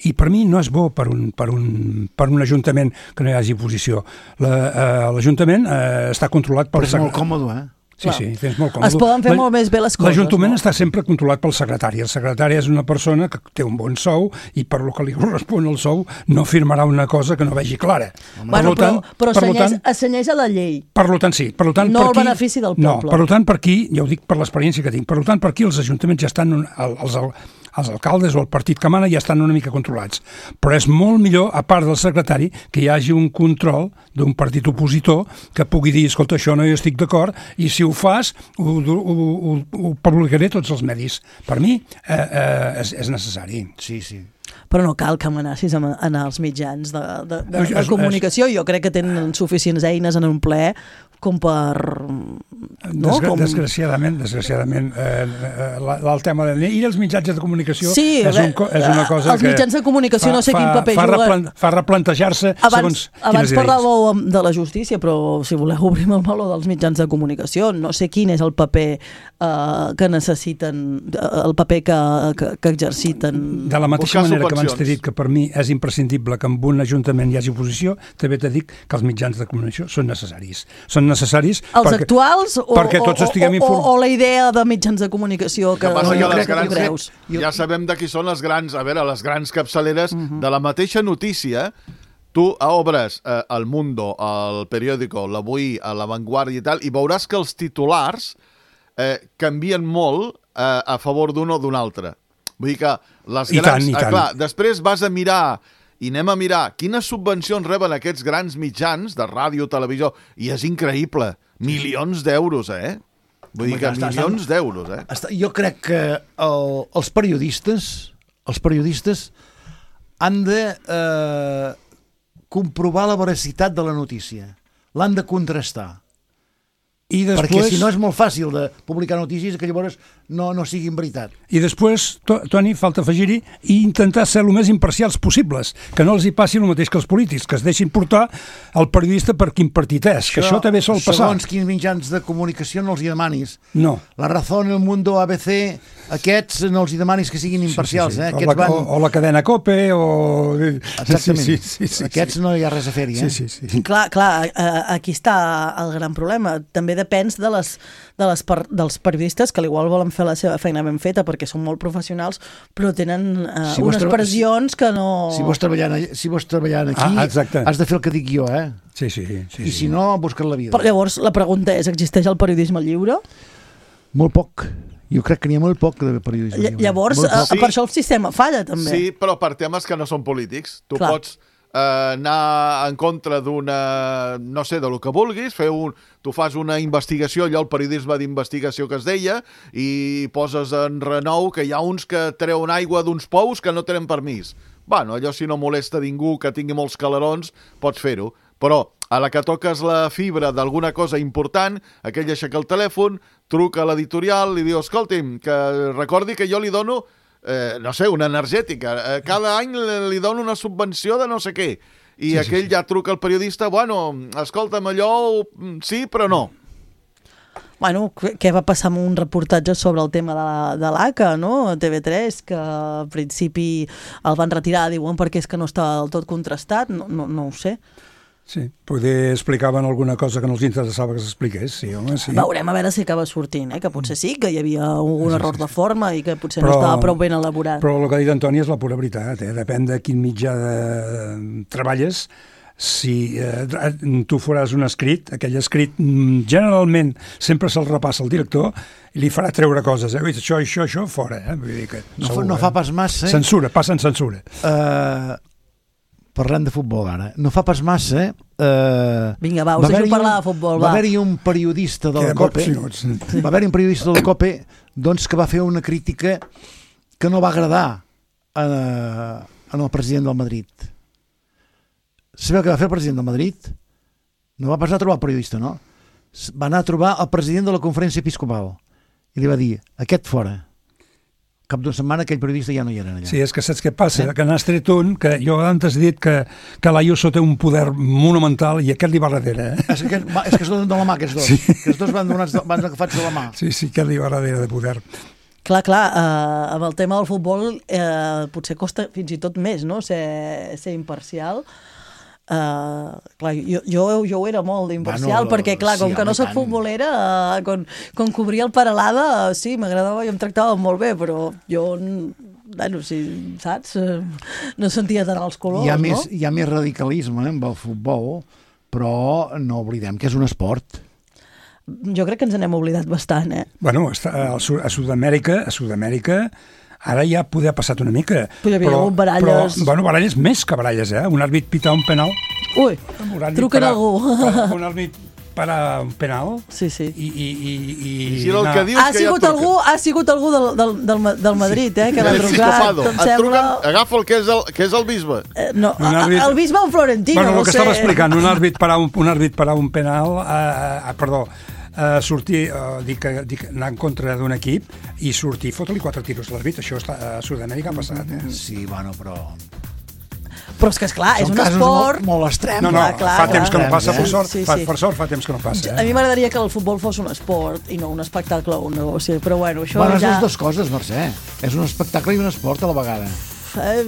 S4: I per mi no és bo per un, per un, per un ajuntament que no hi hagi oposició. L'Ajuntament la, eh, està controlat pel...
S5: Però és molt còmode, eh?
S4: Sí, sí, és molt còmode.
S3: Es poden fer molt més bé les coses.
S4: L'Ajuntament
S3: no?
S4: està sempre controlat pel secretari. El secretari és una persona que té un bon sou i per lo que li correspon el sou no firmarà una cosa que no vegi clara.
S3: Bueno,
S4: per tant,
S3: però però
S4: per
S3: senyeix, tant, senyeix a la llei.
S4: Per tant, sí. Per tant,
S3: no
S4: per
S3: el
S4: aquí,
S3: benefici del poble.
S4: No, per tant, per aquí, ja ho dic per l'experiència que tinc, per tant, per aquí els ajuntaments ja estan... Els, els alcaldes o el partit que mana ja estan una mica controlats. Però és molt millor, a part del secretari, que hi hagi un control d'un partit opositor que pugui dir, escolta, això no hi estic d'acord, i si ho fas, ho, ho, ho, ho publicaré tots els medis. Per mi eh, eh, és, és necessari.
S5: Sí, sí.
S3: Però no cal que amenacis en els mitjans de, de, de, de comunicació. Jo crec que tenen suficients eines en un ple com per... No?
S4: Desgra
S3: Com...
S4: Desgraciadament, desgraciadament eh, el tema de... I els mitjans de comunicació
S3: sí,
S4: és, un, és una cosa
S3: els que... Els mitjans de comunicació
S4: fa,
S3: no sé
S4: fa,
S3: quin paper
S4: fa
S3: juguen.
S4: Replan, fa replantejar-se segons
S3: abans parlàveu de la justícia, però si voleu obrim el meló dels mitjans de comunicació, no sé quin és el paper eh, que necessiten, el paper que, que, que exerciten.
S4: De la mateixa manera que abans t'he dit que per mi és imprescindible que en un ajuntament hi hagi oposició, també t'he dit que els mitjans de comunicació són necessaris. Són necessaris
S3: els
S4: perquè,
S3: actuals o,
S4: perquè tots
S3: o,
S4: estiguem
S3: o, o la idea de mitjans de comunicació que,
S6: que passa
S3: no,
S6: que
S3: jo
S6: les
S3: crec
S6: grans,
S3: que creus.
S6: Ja sabem de qui són les grans, a veure, les grans capçaleres uh -huh. de la mateixa notícia. Tu obres eh, El Mundo, el periòdico, l'Avui, a La Vanguardia i tal, i veuràs que els titulars eh, canvien molt eh, a favor d'un o d'un altre. Vull dir que les
S4: I
S6: grans...
S4: tant, i tant.
S6: Eh, clar, després vas a mirar i anem a mirar quines subvencions reben aquests grans mitjans de ràdio, televisió, i és increïble. Milions d'euros, eh? Vull dir que milions d'euros, eh?
S5: Jo crec que el, els periodistes els periodistes han de eh, comprovar la veracitat de la notícia. L'han de contrastar. I després... Perquè si no és molt fàcil de publicar notícies que llavors no, no siguin veritat.
S4: I després, Toni, falta afegir-hi i intentar ser el més imparcials possibles, que no els hi passi el mateix que els polítics, que es deixin portar el periodista per quin partit és, això, que això també sol passar.
S5: Segons quins mitjans de comunicació no els hi demanis.
S4: No.
S5: La Razón, El Mundo, A B C, aquests no els hi demanis que siguin imparcials.
S4: Sí, sí, sí.
S5: Eh?
S4: O,
S5: Aquests
S4: la,
S5: van...
S4: o, o la cadena COPE o...
S5: Exactament.
S4: Sí, sí, sí, sí,
S5: aquests
S4: sí.
S5: no hi ha res a fer-hi. Eh?
S4: Sí, sí, sí.
S3: Clar, clar, aquí està el gran problema. També depèn de les, de les per, dels periodistes que igual volen fer la seva feina ben feta perquè són molt professionals, però tenen uh,
S5: si
S3: unes
S5: tra...
S3: pressions que no...
S5: Si vols treballant, si vols treballant aquí,
S4: ah,
S5: has de fer el que dic jo, eh?
S4: Sí, sí. sí
S5: I
S4: sí.
S5: si no, busca't la vida.
S3: Però llavors, la pregunta és, existeix el periodisme lliure?
S5: Molt poc. Jo crec que n'hi ha molt poc de periodisme lliure.
S3: Llavors, uh, sí. per això el sistema falla, també.
S6: Sí, però per temes que no són polítics. Tu
S3: Clar.
S6: pots eh, anar en contra d'una... no sé, de lo que vulguis, fer un... tu fas una investigació, allò el periodisme d'investigació que es deia, i poses en renou que hi ha uns que treuen aigua d'uns pous que no tenen permís. Bueno, allò si no molesta ningú que tingui molts calarons, pots fer-ho. Però a la que toques la fibra d'alguna cosa important, aquell aixeca el telèfon, truca a l'editorial i diu, escolti'm, que recordi que jo li dono, eh, no sé, una energètica. Eh, cada any li dono una subvenció de no sé què. I
S4: sí,
S6: aquell
S4: sí, sí.
S6: ja truca al periodista, bueno, escolta'm, allò sí, però no.
S3: Bueno, què va passar amb un reportatge sobre el tema de la, de l'A C A, no? A T V tres, que al principi el van retirar, diuen, perquè és que no estava del tot contrastat, no, no, no ho sé.
S4: Sí, poder explicaven alguna cosa que no els interessava que s'expliqués, sí, home, sí.
S3: Veurem a veure si acaba sortint, eh? Que potser sí, que hi havia un error de forma i que potser
S4: però,
S3: no estava prou ben elaborat.
S4: Però el que ha dit Antoni és la pura veritat, eh? Depèn de quin mitjà de... treballes. Si eh, tu faràs un escrit, aquell escrit generalment sempre se'l repassa al director i li farà treure coses, eh? Això, això, això, fora, eh? Vull dir que,
S5: no,
S4: segur,
S5: no fa pas massa...
S4: Censura, passen censura.
S5: Uh, parlem de futbol ara. No fa pas massa... Uh,
S3: Vinga, va, us deixo parlar de futbol, va.
S5: Va haver-hi un periodista de la COPE, sí. va haver-hi un periodista de la COPE doncs, que va fer una crítica que no va agradar a, a el president del Madrid. Sabeu què va fer el president del Madrid? No va passar a trobar el periodista, no? Va anar a trobar el president de la conferència episcopal i li va dir, aquest fora. Cap d'una setmana aquell periodista ja no hi era allà.
S4: Sí, és que saps què passa? Eh? Que n'has tret un, que jo antes he dit que, que l'Ayuso té un poder monumental i aquest li va darrere. Eh?
S5: És que, és que es donen de la mà, aquests dos. Sí. Aquests dos van, donats, van agafats de la mà.
S4: Sí, sí, aquest li va darrere de poder.
S3: Clar, clar, eh, amb el tema del futbol eh, potser costa fins i tot més, no?, ser, ser imparcial. Uh, clar, jo, jo, jo ho era molt d'imparcial, bueno, perquè clar, com sí, que no soc futbolera, uh, quan, quan cobria el Paralada, uh, sí, m'agradava i em tractava molt bé, però jo, bueno, sí, saps, uh, no sentia tant els colors,
S5: hi ha
S3: no?
S5: Més, hi ha més radicalisme eh, amb el futbol, però no oblidem que és un esport.
S3: Jo crec que ens n'hem oblidat bastant, eh?
S4: Bueno, a Sud-amèrica, a Sud-amèrica ara ja poder ha passat una mica.
S3: Però hi havia però, baralles...
S4: Però, bueno, baralles més que baralles, eh? Un àrbit pita un penal.
S3: Ui, truquen a algú.
S4: Un àrbit para un penal.
S3: Sí, sí.
S4: I, i, i, i,
S6: I si el que dius
S3: ha
S6: que
S3: sigut
S6: ja
S3: algú, ha sigut algú del, del, del, del Madrid, eh? Que l'ha trucat.
S6: Et truquen, agafa el que és el, que és el bisbe.
S3: Eh, no, àrbit... el bisbe un florentino,
S4: bueno,
S3: no
S4: el que
S3: sé.
S4: estava explicant, un àrbit para un, un, àrbit para un penal, eh, eh, perdó, Uh, sortir, uh, dic, dic, anar en contra d'un equip i sortir, fotre-li quatre tiros a l'àrbit. Això està, a Sud-amèrica ha passat, eh?
S5: Sí, bueno, però...
S3: Però és que, esclar, és
S5: Són
S3: un esport...
S5: molt, molt extrem.
S4: No, no,
S3: clar, clar,
S4: fa
S3: clar,
S4: temps que no passa,
S3: eh?
S4: per sort,
S3: sí,
S4: fa,
S3: sí.
S4: per sort fa temps que no passa. Eh?
S3: A mi m'agradaria que el futbol fos un esport i no un espectacle o un negoci, però bueno, això
S5: bueno,
S3: ja...
S5: és les dues coses, Mercè. És un espectacle i un esport a la vegada.
S3: Uh,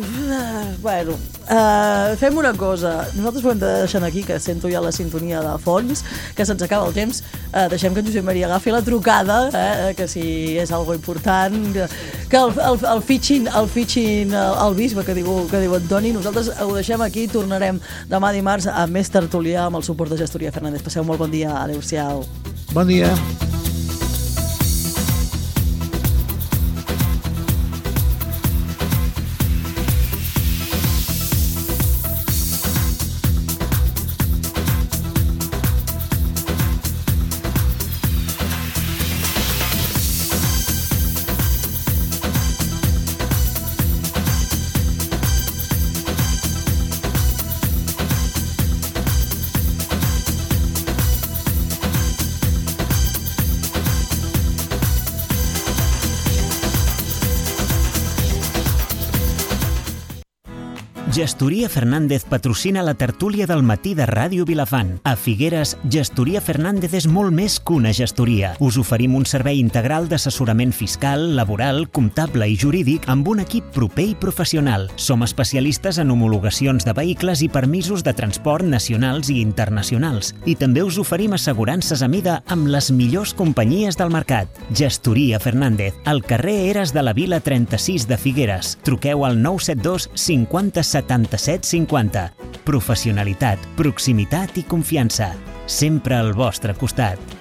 S3: bueno, uh, fem una cosa. Nosaltres ho hem de deixar aquí, que sento ja la sintonia de fons, que se'ns acaba el temps. Uh, deixem que en Josep Maria agafi la trucada, eh, que si és algo important, que, que el, el, el fitxin, el fitxin el bisbe, que diu, que diu Antoni. Nosaltres ho deixem aquí, tornarem demà dimarts amb més tertulià amb el suport de Gestoria Fernández. Passeu molt bon dia, adeu-siau.
S5: Bon dia.
S2: Gestoria Fernández patrocina la tertúlia del matí de Ràdio Vilafant. A Figueres, Gestoria Fernández és molt més que una gestoria. Us oferim un servei integral d'assessorament fiscal, laboral, comptable i jurídic amb un equip proper i professional. Som especialistes en homologacions de vehicles i permisos de transport nacionals i internacionals. I també us oferim assegurances a mida amb les millors companyies del mercat. Gestoria Fernández, al carrer Eres de la Vila trenta-sis de Figueres. Truqueu al nou set dos cinquanta setanta-set cinquanta. Professionalitat, proximitat i confiança. Sempre al vostre costat.